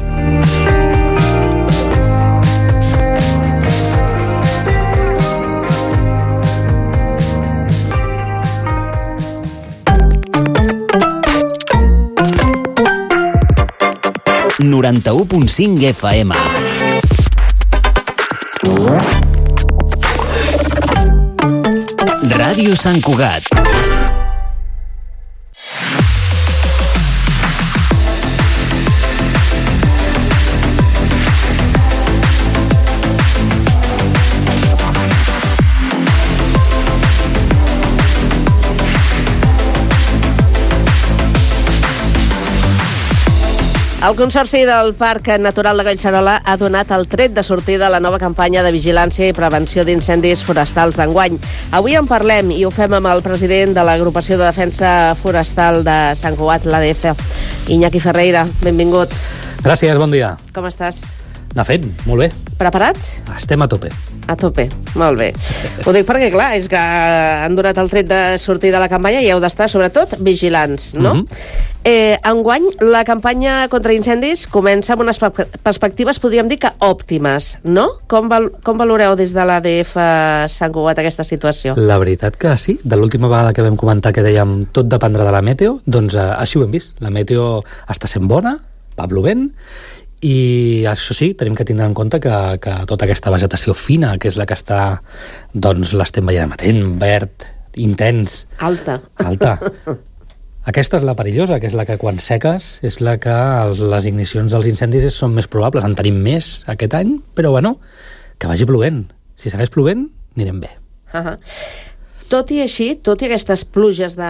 noranta-u punt cinc F M. Ràdio Sant Cugat. El Consorci del Parc Natural de Collserola ha donat el tret de sortida a la nova campanya de vigilància i prevenció d'incendis forestals d'enguany. Avui en parlem i ho fem amb el president de l'Agrupació de Defensa Forestal de Sant Cugat, l'A D F, Iñaki Ferreira. Benvingut. Gràcies, bon dia. Com estàs? Anar fent, molt bé. Preparat? Estem a tope. A tope, molt bé. Ho dic perquè, clar, és que han donat el tret de sortida a la campanya i heu d'estar, sobretot, vigilants, no? Mm-hmm. Eh, enguany, la campanya contra incendis comença amb unes perspectives, podríem dir que òptimes, no? Com, val com valoreu des de l'A D F Sant Cugat aquesta situació? La veritat que sí. De l'última vegada que vam comentar que dèiem tot dependrà de la meteo, doncs eh, així ho hem vist. La meteo està sent bona, va plovent, i això sí, tenim que tindre en compte que, que tota aquesta vegetació fina, que és la que està, doncs l'estem veient amatent, verd, intens. Alta. Alta. Aquesta és la perillosa, que és la que quan seques és la que els, les ignicions dels incendis són més probables. En tenim més aquest any, però bueno, que vagi plovent. Si segueix plovent, anirem bé. Uh-huh. Tot i així, tot i aquestes pluges de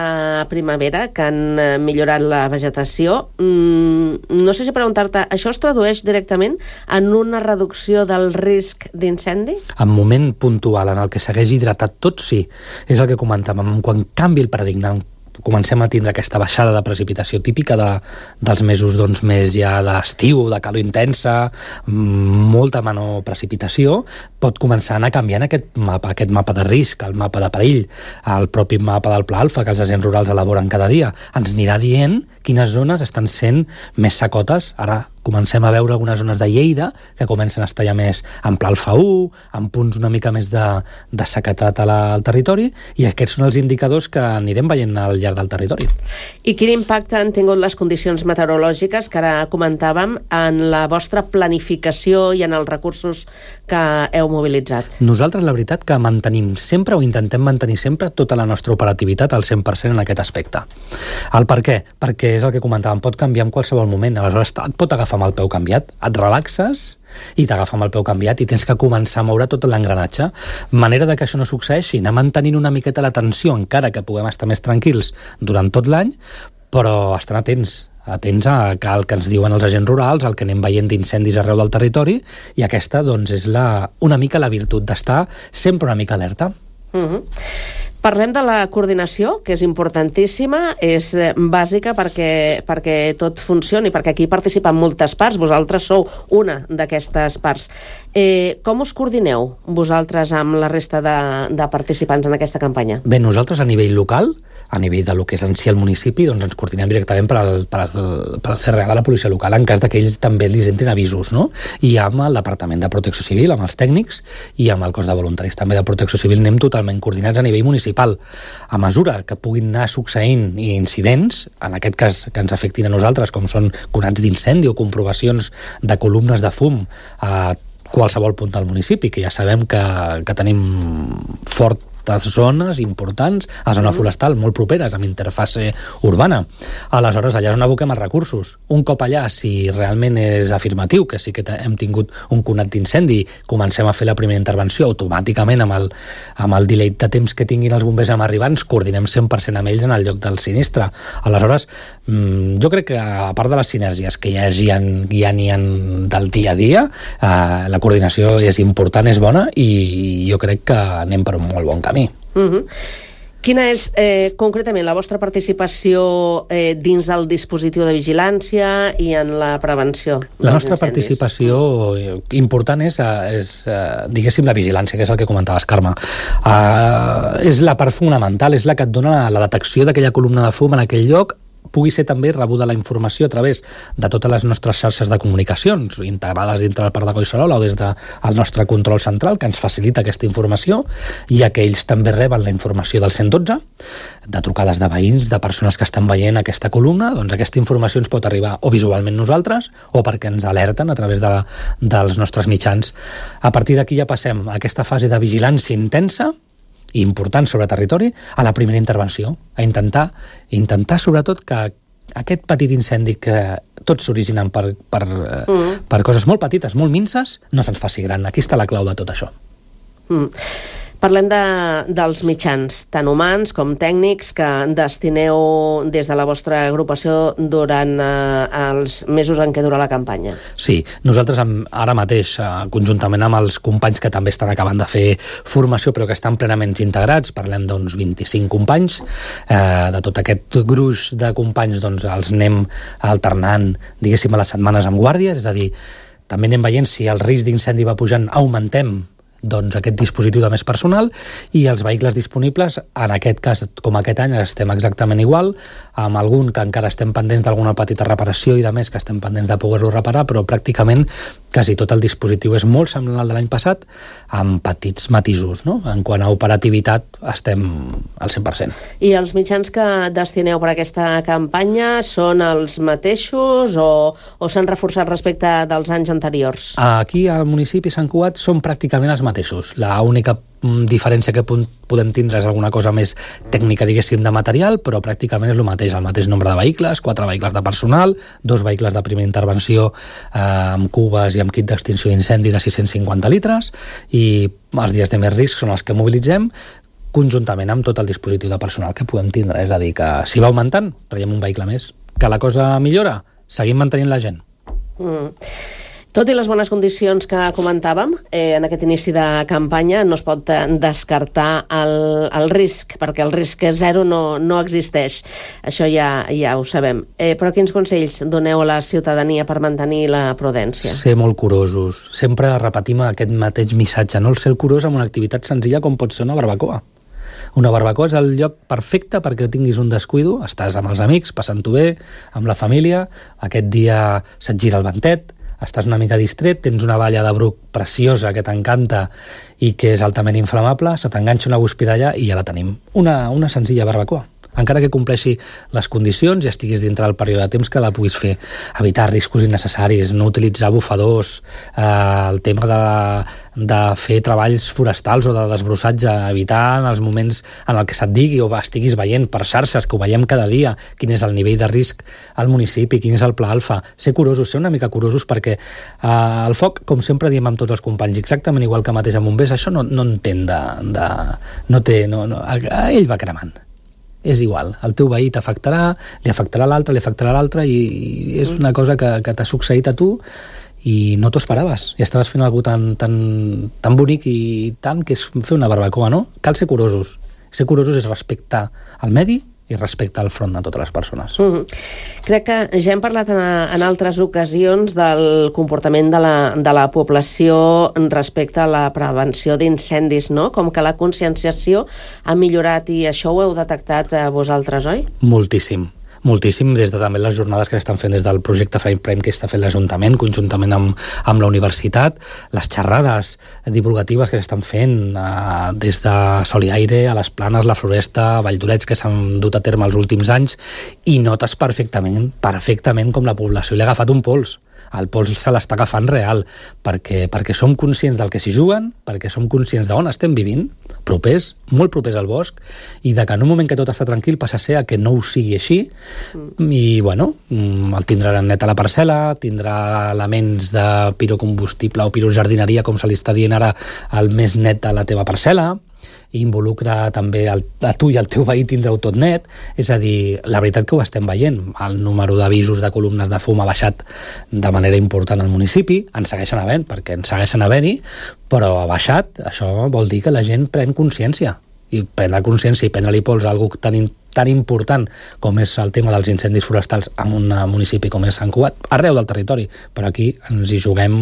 primavera que han millorat la vegetació, mmm, no sé si preguntar-te, això es tradueix directament en una reducció del risc d'incendi? En moment puntual en el que segueix hidratat tot, sí. És el que comentàvem. Quan canvi el paradigma, comencem a tindre aquesta baixada de precipitació típica de, dels mesos doncs, més ja d'estiu, de calor intensa, molta menor precipitació, pot començar a anar canviant aquest mapa, aquest mapa de risc, el mapa de perill, el propi mapa del Pla Alfa que els agents rurals elaboren cada dia. Ens anirà dient quines zones estan sent més secotes. Ara comencem a veure algunes zones de Lleida que comencen a estar ja més en Pla Alfa u, amb punts una mica més de, de sequetat a la, al territori, i aquests són els indicadors que anirem veient al llarg del territori. I quin impacte han tingut les condicions meteorològiques que ara comentàvem en la vostra planificació i en els recursos que heu mobilitzat? Nosaltres, la veritat, que mantenim sempre o intentem mantenir sempre tota la nostra operativitat al cent per cent en aquest aspecte. El per què? Perquè és el que comentàvem, pot canviar en qualsevol moment, aleshores et pot agafar amb el peu canviat, et relaxes i t'agafa amb el peu canviat i tens que començar a moure tot l'engranatge. Manera de que això no succeeixi, anar mantenint una miqueta la tensió, encara que puguem estar més tranquils durant tot l'any, però estan atents, atents a el que ens diuen els agents rurals, el que anem veient d'incendis arreu del territori, i aquesta doncs, és la, una mica la virtut d'estar sempre una mica alerta. Mm-hmm. Parlem de la coordinació, que és importantíssima, és bàsica perquè, perquè tot funcioni, perquè aquí participen moltes parts, vosaltres sou una d'aquestes parts. Eh, com us coordineu vosaltres amb la resta de, de participants en aquesta campanya? Bé, nosaltres a nivell local, a nivell de lo que és en si el municipi, doncs ens coordinem directament per al, per al, per al C R A de la policia local, en cas que ells també li entrin avisos, no? I amb el Departament de Protecció Civil, amb els tècnics, i amb el cos de voluntaris també de Protecció Civil anem totalment coordinats a nivell municipal. municipal. A mesura que puguin anar succeint incidents, en aquest cas que ens afectin a nosaltres, com són conats d'incendi o comprovacions de columnes de fum a qualsevol punt del municipi, que ja sabem que, que tenim fort zones importants, a zona forestal molt properes, amb interfase urbana. Aleshores, allà és on aboquem els recursos. Un cop allà, si realment és afirmatiu, que sí que hem tingut un conat d'incendi, comencem a fer la primera intervenció automàticament amb el, amb el delay de temps que tinguin els bombers amb arribar, ens coordinem cent per cent amb ells en el lloc del sinistre. Aleshores, jo crec que a part de les sinergies que ja hi ha, ja n'hi ha del dia a dia, eh, la coordinació és important, és bona, i jo crec que anem per un molt bon camí. Uh -huh. Quina és eh, concretament la vostra participació eh, dins del dispositiu de vigilància i en la prevenció? La nostra participació important és, és diguéssim, la vigilància, que és el que comentaves, Carme. Uh, és la part fonamental, és la que et dona la detecció d'aquella columna de fum en aquell lloc, pugui ser també rebuda la informació a través de totes les nostres xarxes de comunicacions integrades dintre del Parc de Collserola o des del nostre control central, que ens facilita aquesta informació, i que ells també reben la informació del cent i dotze, de trucades de veïns, de persones que estan veient aquesta columna. Doncs aquesta informació ens pot arribar o visualment nosaltres o perquè ens alerten a través de la, dels nostres mitjans. A partir d'aquí ja passem a aquesta fase de vigilància intensa important sobre territori, a la primera intervenció, a intentar, intentar sobretot que aquest petit incendi que tots s'originen per, per, mm. per coses molt petites, molt minces, no se'ns faci gran. Aquí està la clau de tot això. Mm. Parlem de, dels mitjans, tant humans com tècnics, que destineu des de la vostra agrupació durant eh, els mesos en què dura la campanya. Sí, nosaltres ara mateix, eh, conjuntament amb els companys que també estan acabant de fer formació, però que estan plenament integrats, parlem d'uns vint-i-cinc companys, eh, de tot aquest gruix de companys doncs, els anem alternant, diguéssim, a les setmanes amb guàrdies, és a dir, també anem veient si el risc d'incendi va pujant, augmentem doncs aquest dispositiu de més personal, i els vehicles disponibles, en aquest cas, com aquest any, estem exactament igual, amb algun que encara estem pendents d'alguna petita reparació i de més que estem pendents de poder-lo reparar, però pràcticament quasi tot el dispositiu és molt semblant al de l'any passat, amb petits matisos, no? En quant a operativitat estem al cent per cent. I els mitjans que destineu per aquesta campanya són els mateixos o, o s'han reforçat respecte dels anys anteriors? Aquí al municipi Sant Cugat són pràcticament els mateixos. La única diferència que podem tindre és alguna cosa més tècnica, diguéssim, de material, però pràcticament és el mateix, el mateix nombre de vehicles, quatre vehicles de personal, dos vehicles de primera intervenció eh, amb cubes i amb kit d'extinció d'incendi de sis-cents cinquanta litres, i els dies de més risc són els que mobilitzem, conjuntament amb tot el dispositiu de personal que podem tindre. És a dir, que si va augmentant, traiem un vehicle més. Que la cosa millora, seguim mantenint la gent. Mm. Tot i les bones condicions que comentàvem, eh, en aquest inici de campanya no es pot descartar el, el risc, perquè el risc zero no, no existeix. Això ja, ja ho sabem. Eh, però quins consells doneu a la ciutadania per mantenir la prudència? Ser molt curosos. Sempre repetim aquest mateix missatge, no? El ser curós amb una activitat senzilla com pot ser una barbacoa. Una barbacoa és el lloc perfecte perquè tinguis un descuido, estàs amb els amics, passant-ho bé, amb la família, aquest dia se't gira el ventet, estàs una mica distret, tens una balla de bruc preciosa que t'encanta i que és altament inflamable, se t'enganxa una guspira allà i ja la tenim. Una, una senzilla barbacoa. Encara que compleixi les condicions i estiguis dintre del període de temps que la puguis fer. Evitar riscos innecessaris, no utilitzar bufadors, eh, el tema de, de fer treballs forestals o de desbrossatge, evitar en els moments en el que se't digui o estiguis veient per xarxes, que ho veiem cada dia, quin és el nivell de risc al municipi, quin és el pla alfa. Ser curosos, ser una mica curosos, perquè eh, el foc, com sempre diem amb tots els companys, exactament igual que mateix amb bombers, això no, no entén de... de no té, no, no, ell va cremant. És igual, el teu veí t'afectarà, li afectarà l'altre, li afectarà l'altre, i, i és una cosa que, que t'ha succeït a tu i no t'ho esperaves. I estaves fent alguna tan, tan, tan bonic i tant que és fer una barbacoa, no? Cal ser curosos. Ser curosos és respectar el medi i respectar el front de totes les persones. Mm-hmm. Crec que ja hem parlat en, en altres ocasions del comportament de la, de la població respecte a la prevenció d'incendis, no? Com que la conscienciació ha millorat i això ho heu detectat eh, vosaltres, oi? Moltíssim. moltíssim des de també les jornades que s'estan fent des del projecte Frame Prime que està fent l'Ajuntament, conjuntament amb, amb la universitat, les xerrades divulgatives que s'estan fent eh, des de Sol i Aire, a les Planes, la Floresta, a Valldoreix, que s'han dut a terme els últims anys, i notes perfectament, perfectament com la població li ha agafat un pols. El pols se l'està agafant real, perquè, perquè som conscients del que s'hi juguen, perquè som conscients d'on estem vivint, propers, molt propers al bosc, i de que en un moment que tot està tranquil passa a ser a que no ho sigui així, mm. i bueno, el tindrà net a la parcel·la, tindrà elements de pirocombustible o pirojardineria, com se li està dient ara, el més net a la teva parcel·la, i involucra també el, a tu i el teu veí tindreu tot net, és a dir, la veritat que ho estem veient, el número d'avisos de columnes de fum ha baixat de manera important al municipi, en segueixen havent, perquè en segueixen havent-hi, però ha baixat, això vol dir que la gent pren consciència, i prendre consciència i prendre-li pols a algú tan, tan important com és el tema dels incendis forestals en un municipi com és Sant Cugat, arreu del territori, però aquí ens hi juguem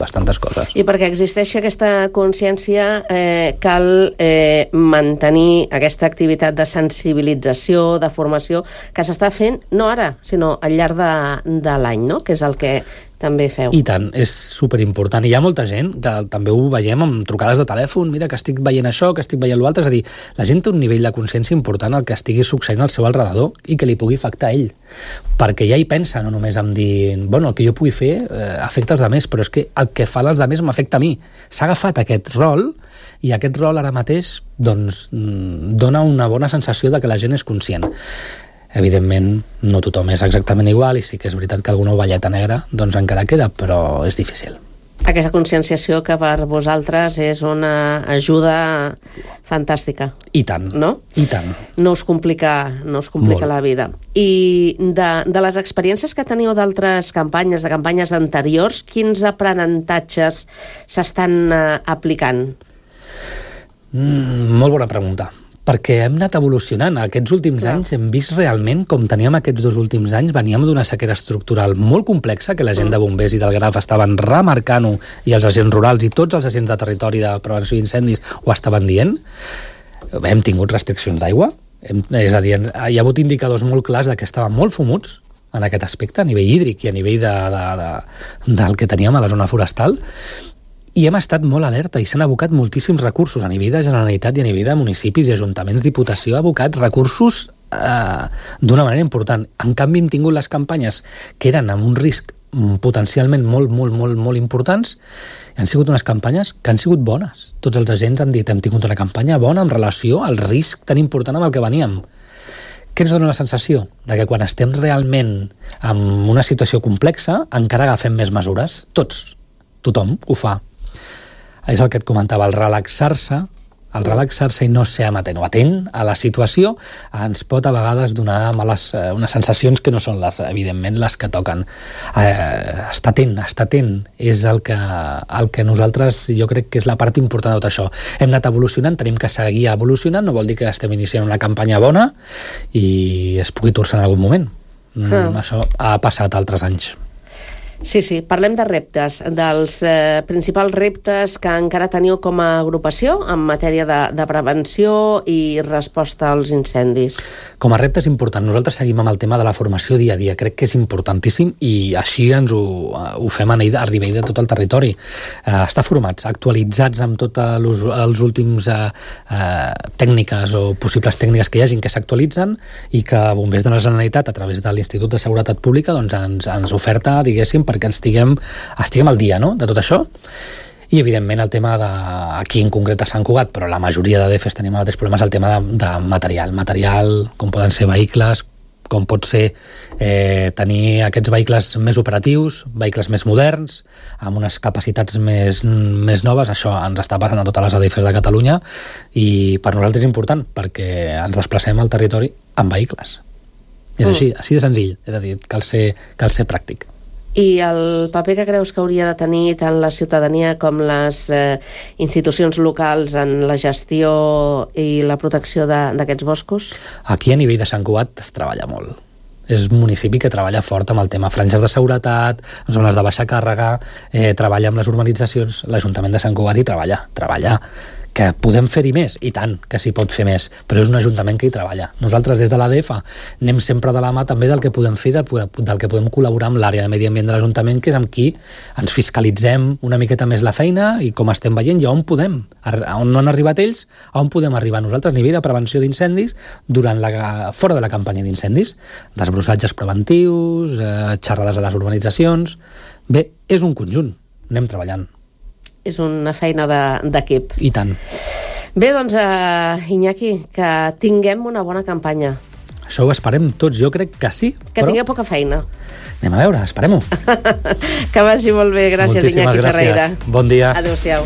bastantes coses. I perquè existeixi aquesta consciència eh, cal eh, mantenir aquesta activitat de sensibilització, de formació, que s'està fent no ara, sinó al llarg de, de l'any, no? Que és el que també feu. I tant, és superimportant. I hi ha molta gent que també ho veiem amb trucades de telèfon, mira que estic veient això, que estic veient l'altre, és a dir, la gent té un nivell de consciència important al que estigui succeint al seu alrededor i que li pugui afectar a ell. Perquè ja hi pensa, no només en dir, bueno, el que jo pugui fer eh, afecta els altres, però és que el que fa als altres m'afecta a mi. S'ha agafat aquest rol i aquest rol ara mateix doncs, dona una bona sensació de que la gent és conscient. Evidentment, no tothom és exactament igual i sí que és veritat que alguna ovelleta negra doncs encara queda, però és difícil. Aquesta conscienciació que per vosaltres és una ajuda fantàstica. I tant, no? I tant. No us complica, no us complica Molt. la vida. I de, de les experiències que teniu d'altres campanyes, de campanyes anteriors, quins aprenentatges s'estan uh, aplicant? Mm, molt bona pregunta. Perquè hem anat evolucionant. Aquests últims Clar. anys hem vist realment com teníem aquests dos últims anys, veníem d'una sequera estructural molt complexa, que la gent de bombers i del Graf estaven remarcant-ho, i els agents rurals i tots els agents de territori de prevenció d'incendis ho estaven dient. Hem tingut restriccions d'aigua, és a dir, hi ha hagut indicadors molt clars de que estaven molt fumuts en aquest aspecte, a nivell hídric i a nivell de, de, de, del que teníem a la zona forestal, i hem estat molt alerta i s'han abocat moltíssims recursos a nivell de Generalitat i a nivell de municipis i ajuntaments, Diputació ha abocat recursos eh, d'una manera important. En canvi hem tingut les campanyes que eren amb un risc potencialment molt, molt, molt, molt importants, i han sigut unes campanyes que han sigut bones. Tots els agents han dit hem tingut una campanya bona en relació al risc tan important amb el que veníem. Què ens dona la sensació? De que quan estem realment en una situació complexa encara agafem més mesures. Tots. Tothom ho fa. És el que et comentava, el relaxar-se, el relaxar-se i no ser amatent o atent a la situació ens pot a vegades donar males, eh, unes sensacions que no són les, evidentment, les que toquen. Eh, estar atent, estar atent és el que, el que nosaltres, jo crec que és la part important de tot això. Hem anat evolucionant, tenim que seguir evolucionant, no vol dir que estem iniciant una campanya bona i es pugui torçar en algun moment. Mm, ah. Això ha passat altres anys. Sí, sí, parlem de reptes, dels eh, principals reptes que encara teniu com a agrupació en matèria de, de prevenció i resposta als incendis. Com a reptes important, nosaltres seguim amb el tema de la formació dia a dia, crec que és importantíssim i així ens ho, ho fem a nivell de tot el territori. Eh, estar formats, actualitzats amb tots els últims eh, eh, tècniques o possibles tècniques que hi hagin que s'actualitzen i que Bombers de la Generalitat, a través de l'Institut de Seguretat Pública, doncs ens, ens oferta, diguéssim, perquè estiguem, estiguem al dia, no?, de tot això. I, evidentment, el tema de, aquí en concret a Sant Cugat, però la majoria de D Fs tenim altres problemes, el tema de, de material. Material, com poden ser vehicles, com pot ser eh, tenir aquests vehicles més operatius, vehicles més moderns, amb unes capacitats més, més noves. Això ens està passant a totes les A D Fs de Catalunya i per nosaltres és important perquè ens desplacem al territori amb vehicles. És així, així de senzill. És a dir, cal ser, cal ser pràctic. I el paper que creus que hauria de tenir tant la ciutadania com les eh, institucions locals en la gestió i la protecció d'aquests boscos? Aquí a nivell de Sant Cugat es treballa molt. És un municipi que treballa fort amb el tema franges de seguretat, zones de baixa càrrega, eh, treballa amb les urbanitzacions, l'Ajuntament de Sant Cugat hi treballa, treballa. Que podem fer-hi més? I tant, que s'hi pot fer més, però és un ajuntament que hi treballa. Nosaltres, des de l'A D F, anem sempre de la mà també del que podem fer, del que podem col·laborar amb l'àrea de medi ambient de l'Ajuntament, que és amb qui ens fiscalitzem una miqueta més la feina i com estem veient i on podem, on no han arribat ells, on podem arribar nosaltres a nivell de prevenció d'incendis durant la, fora de la campanya d'incendis, desbrossatges preventius, eh, xerrades a les urbanitzacions. Bé, és un conjunt, anem treballant. És una feina d'equip. I tant. Bé, doncs, uh, Iñaki, que tinguem una bona campanya. Això ho esperem tots, jo crec que sí. Que però... tingueu poca feina. Anem a veure, esperem-ho. Que vagi molt bé. Gràcies, Moltíssimes Iñaki gràcies. Ferreira. Bon dia. Adéu-siau.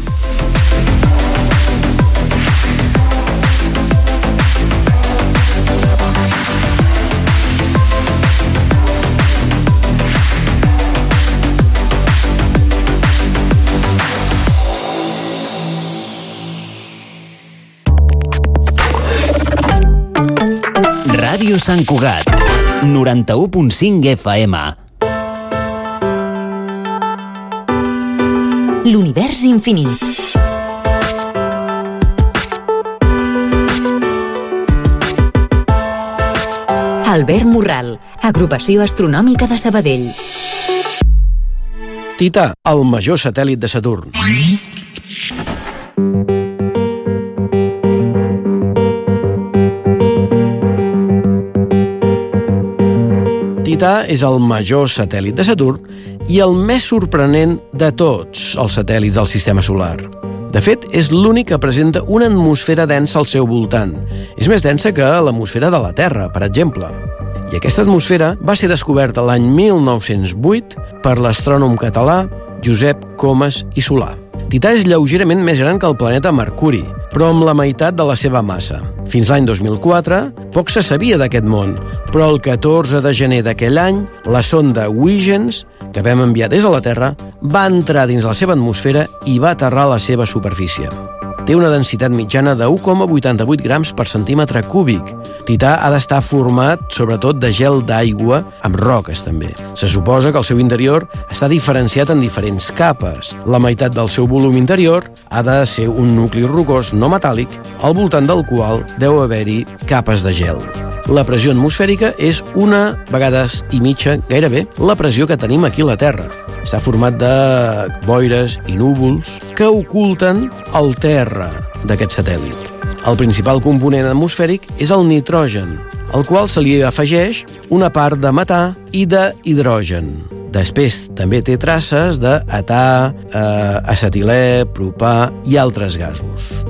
Ràdio Sant Cugat, noranta-u punt cinc F M. L'univers infinit. Albert Morral, Agrupació Astronòmica de Sabadell. Tità, el major satèl·lit de Saturn. Tità és el major satèl·lit de Saturn i el més sorprenent de tots els satèl·lits del sistema solar. De fet, és l'únic que presenta una atmosfera densa al seu voltant. És més densa que l'atmosfera de la Terra, per exemple. I aquesta atmosfera va ser descoberta l'any mil nou-cents vuit per l'astrònom català Josep Comas i Solà. Tità és lleugerament més gran que el planeta Mercuri, però amb la meitat de la seva massa. Fins l'any dos mil quatre, poc se sabia d'aquest món, però el catorze de gener d'aquell any, la sonda Huygens, que vam enviar des de la Terra, va entrar dins la seva atmosfera i va aterrar a la seva superfície. Té una densitat mitjana de u coma vuitanta-vuit grams per centímetre cúbic. Tità ha d'estar format, sobretot, de gel d'aigua, amb roques, també. Se suposa que el seu interior està diferenciat en diferents capes. La meitat del seu volum interior ha de ser un nucli rocós no metàl·lic, al voltant del qual deu haver-hi capes de gel. La pressió atmosfèrica és una vegades i mitja, gairebé, la pressió que tenim aquí a la Terra. Està format de boires i núvols que oculten el terra d'aquest satèl·lit. El principal component atmosfèric és el nitrogen, al qual se li afegeix una part de metà i d'hidrogen. Després també té traces d'età, eh, acetilè, propà i altres gasos.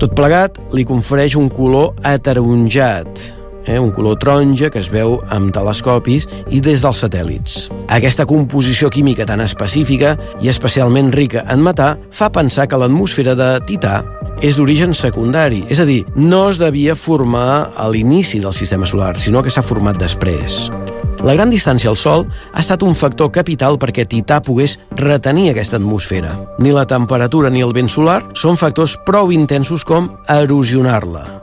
Tot plegat li confereix un color ataronjat, Eh, un color taronja que es veu amb telescopis i des dels satèl·lits. Aquesta composició química tan específica i especialment rica en metà fa pensar que l'atmosfera de Tità és d'origen secundari, és a dir, no es devia formar a l'inici del sistema solar, sinó que s'ha format després. La gran distància al Sol ha estat un factor capital perquè Tità pogués retenir aquesta atmosfera. Ni la temperatura ni el vent solar són factors prou intensos com erosionar-la.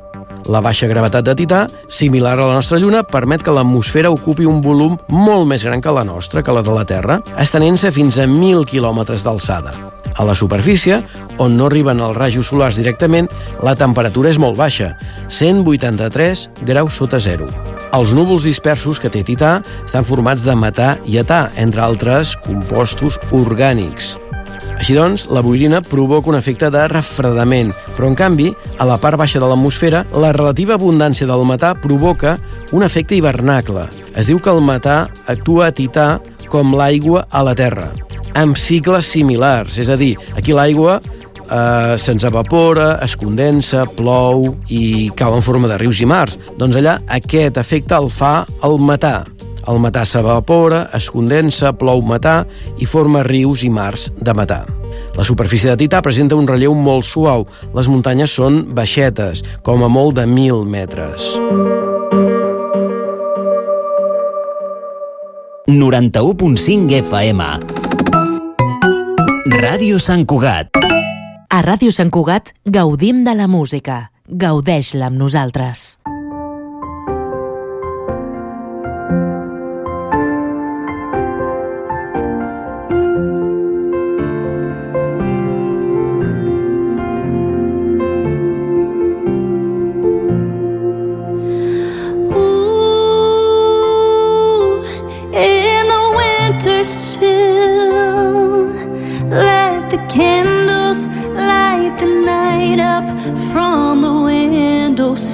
La baixa gravetat de Tità, similar a la nostra Lluna, permet que l'atmosfera ocupi un volum molt més gran que la nostra, que la de la Terra, estenent-se fins a mil quilòmetres d'alçada. A la superfície, on no arriben els rajos solars directament, la temperatura és molt baixa, cent vuitanta-tres graus sota zero. Els núvols dispersos que té Tità estan formats de metà i età, entre altres compostos orgànics. Així doncs, la boirina provoca un efecte de refredament, però en canvi, a la part baixa de l'atmosfera, la relativa abundància del metà provoca un efecte hivernacle. Es diu que el metà actua a Tità com l'aigua a la Terra, amb cicles similars, és a dir, aquí l'aigua eh, se'ns evapora, es condensa, plou i cau en forma de rius i mars. Doncs allà aquest efecte el fa el metà. El metà s'evapora, es condensa, plou metà i forma rius i mars de metà. La superfície de Tità presenta un relleu molt suau. Les muntanyes són baixetes, com a molt de mil metres. noranta-u punt cinc F M. Ràdio Sant Cugat. A Ràdio Sant Cugat gaudim de la música. Gaudeix-la amb nosaltres. from the windowsills.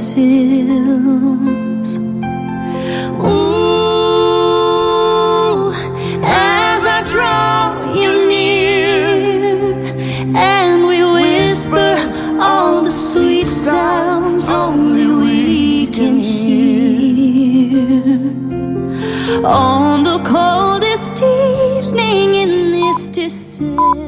Ooh, as I draw you near, and we whisper all the sweet sounds only we can hear. On the coldest evening in this December.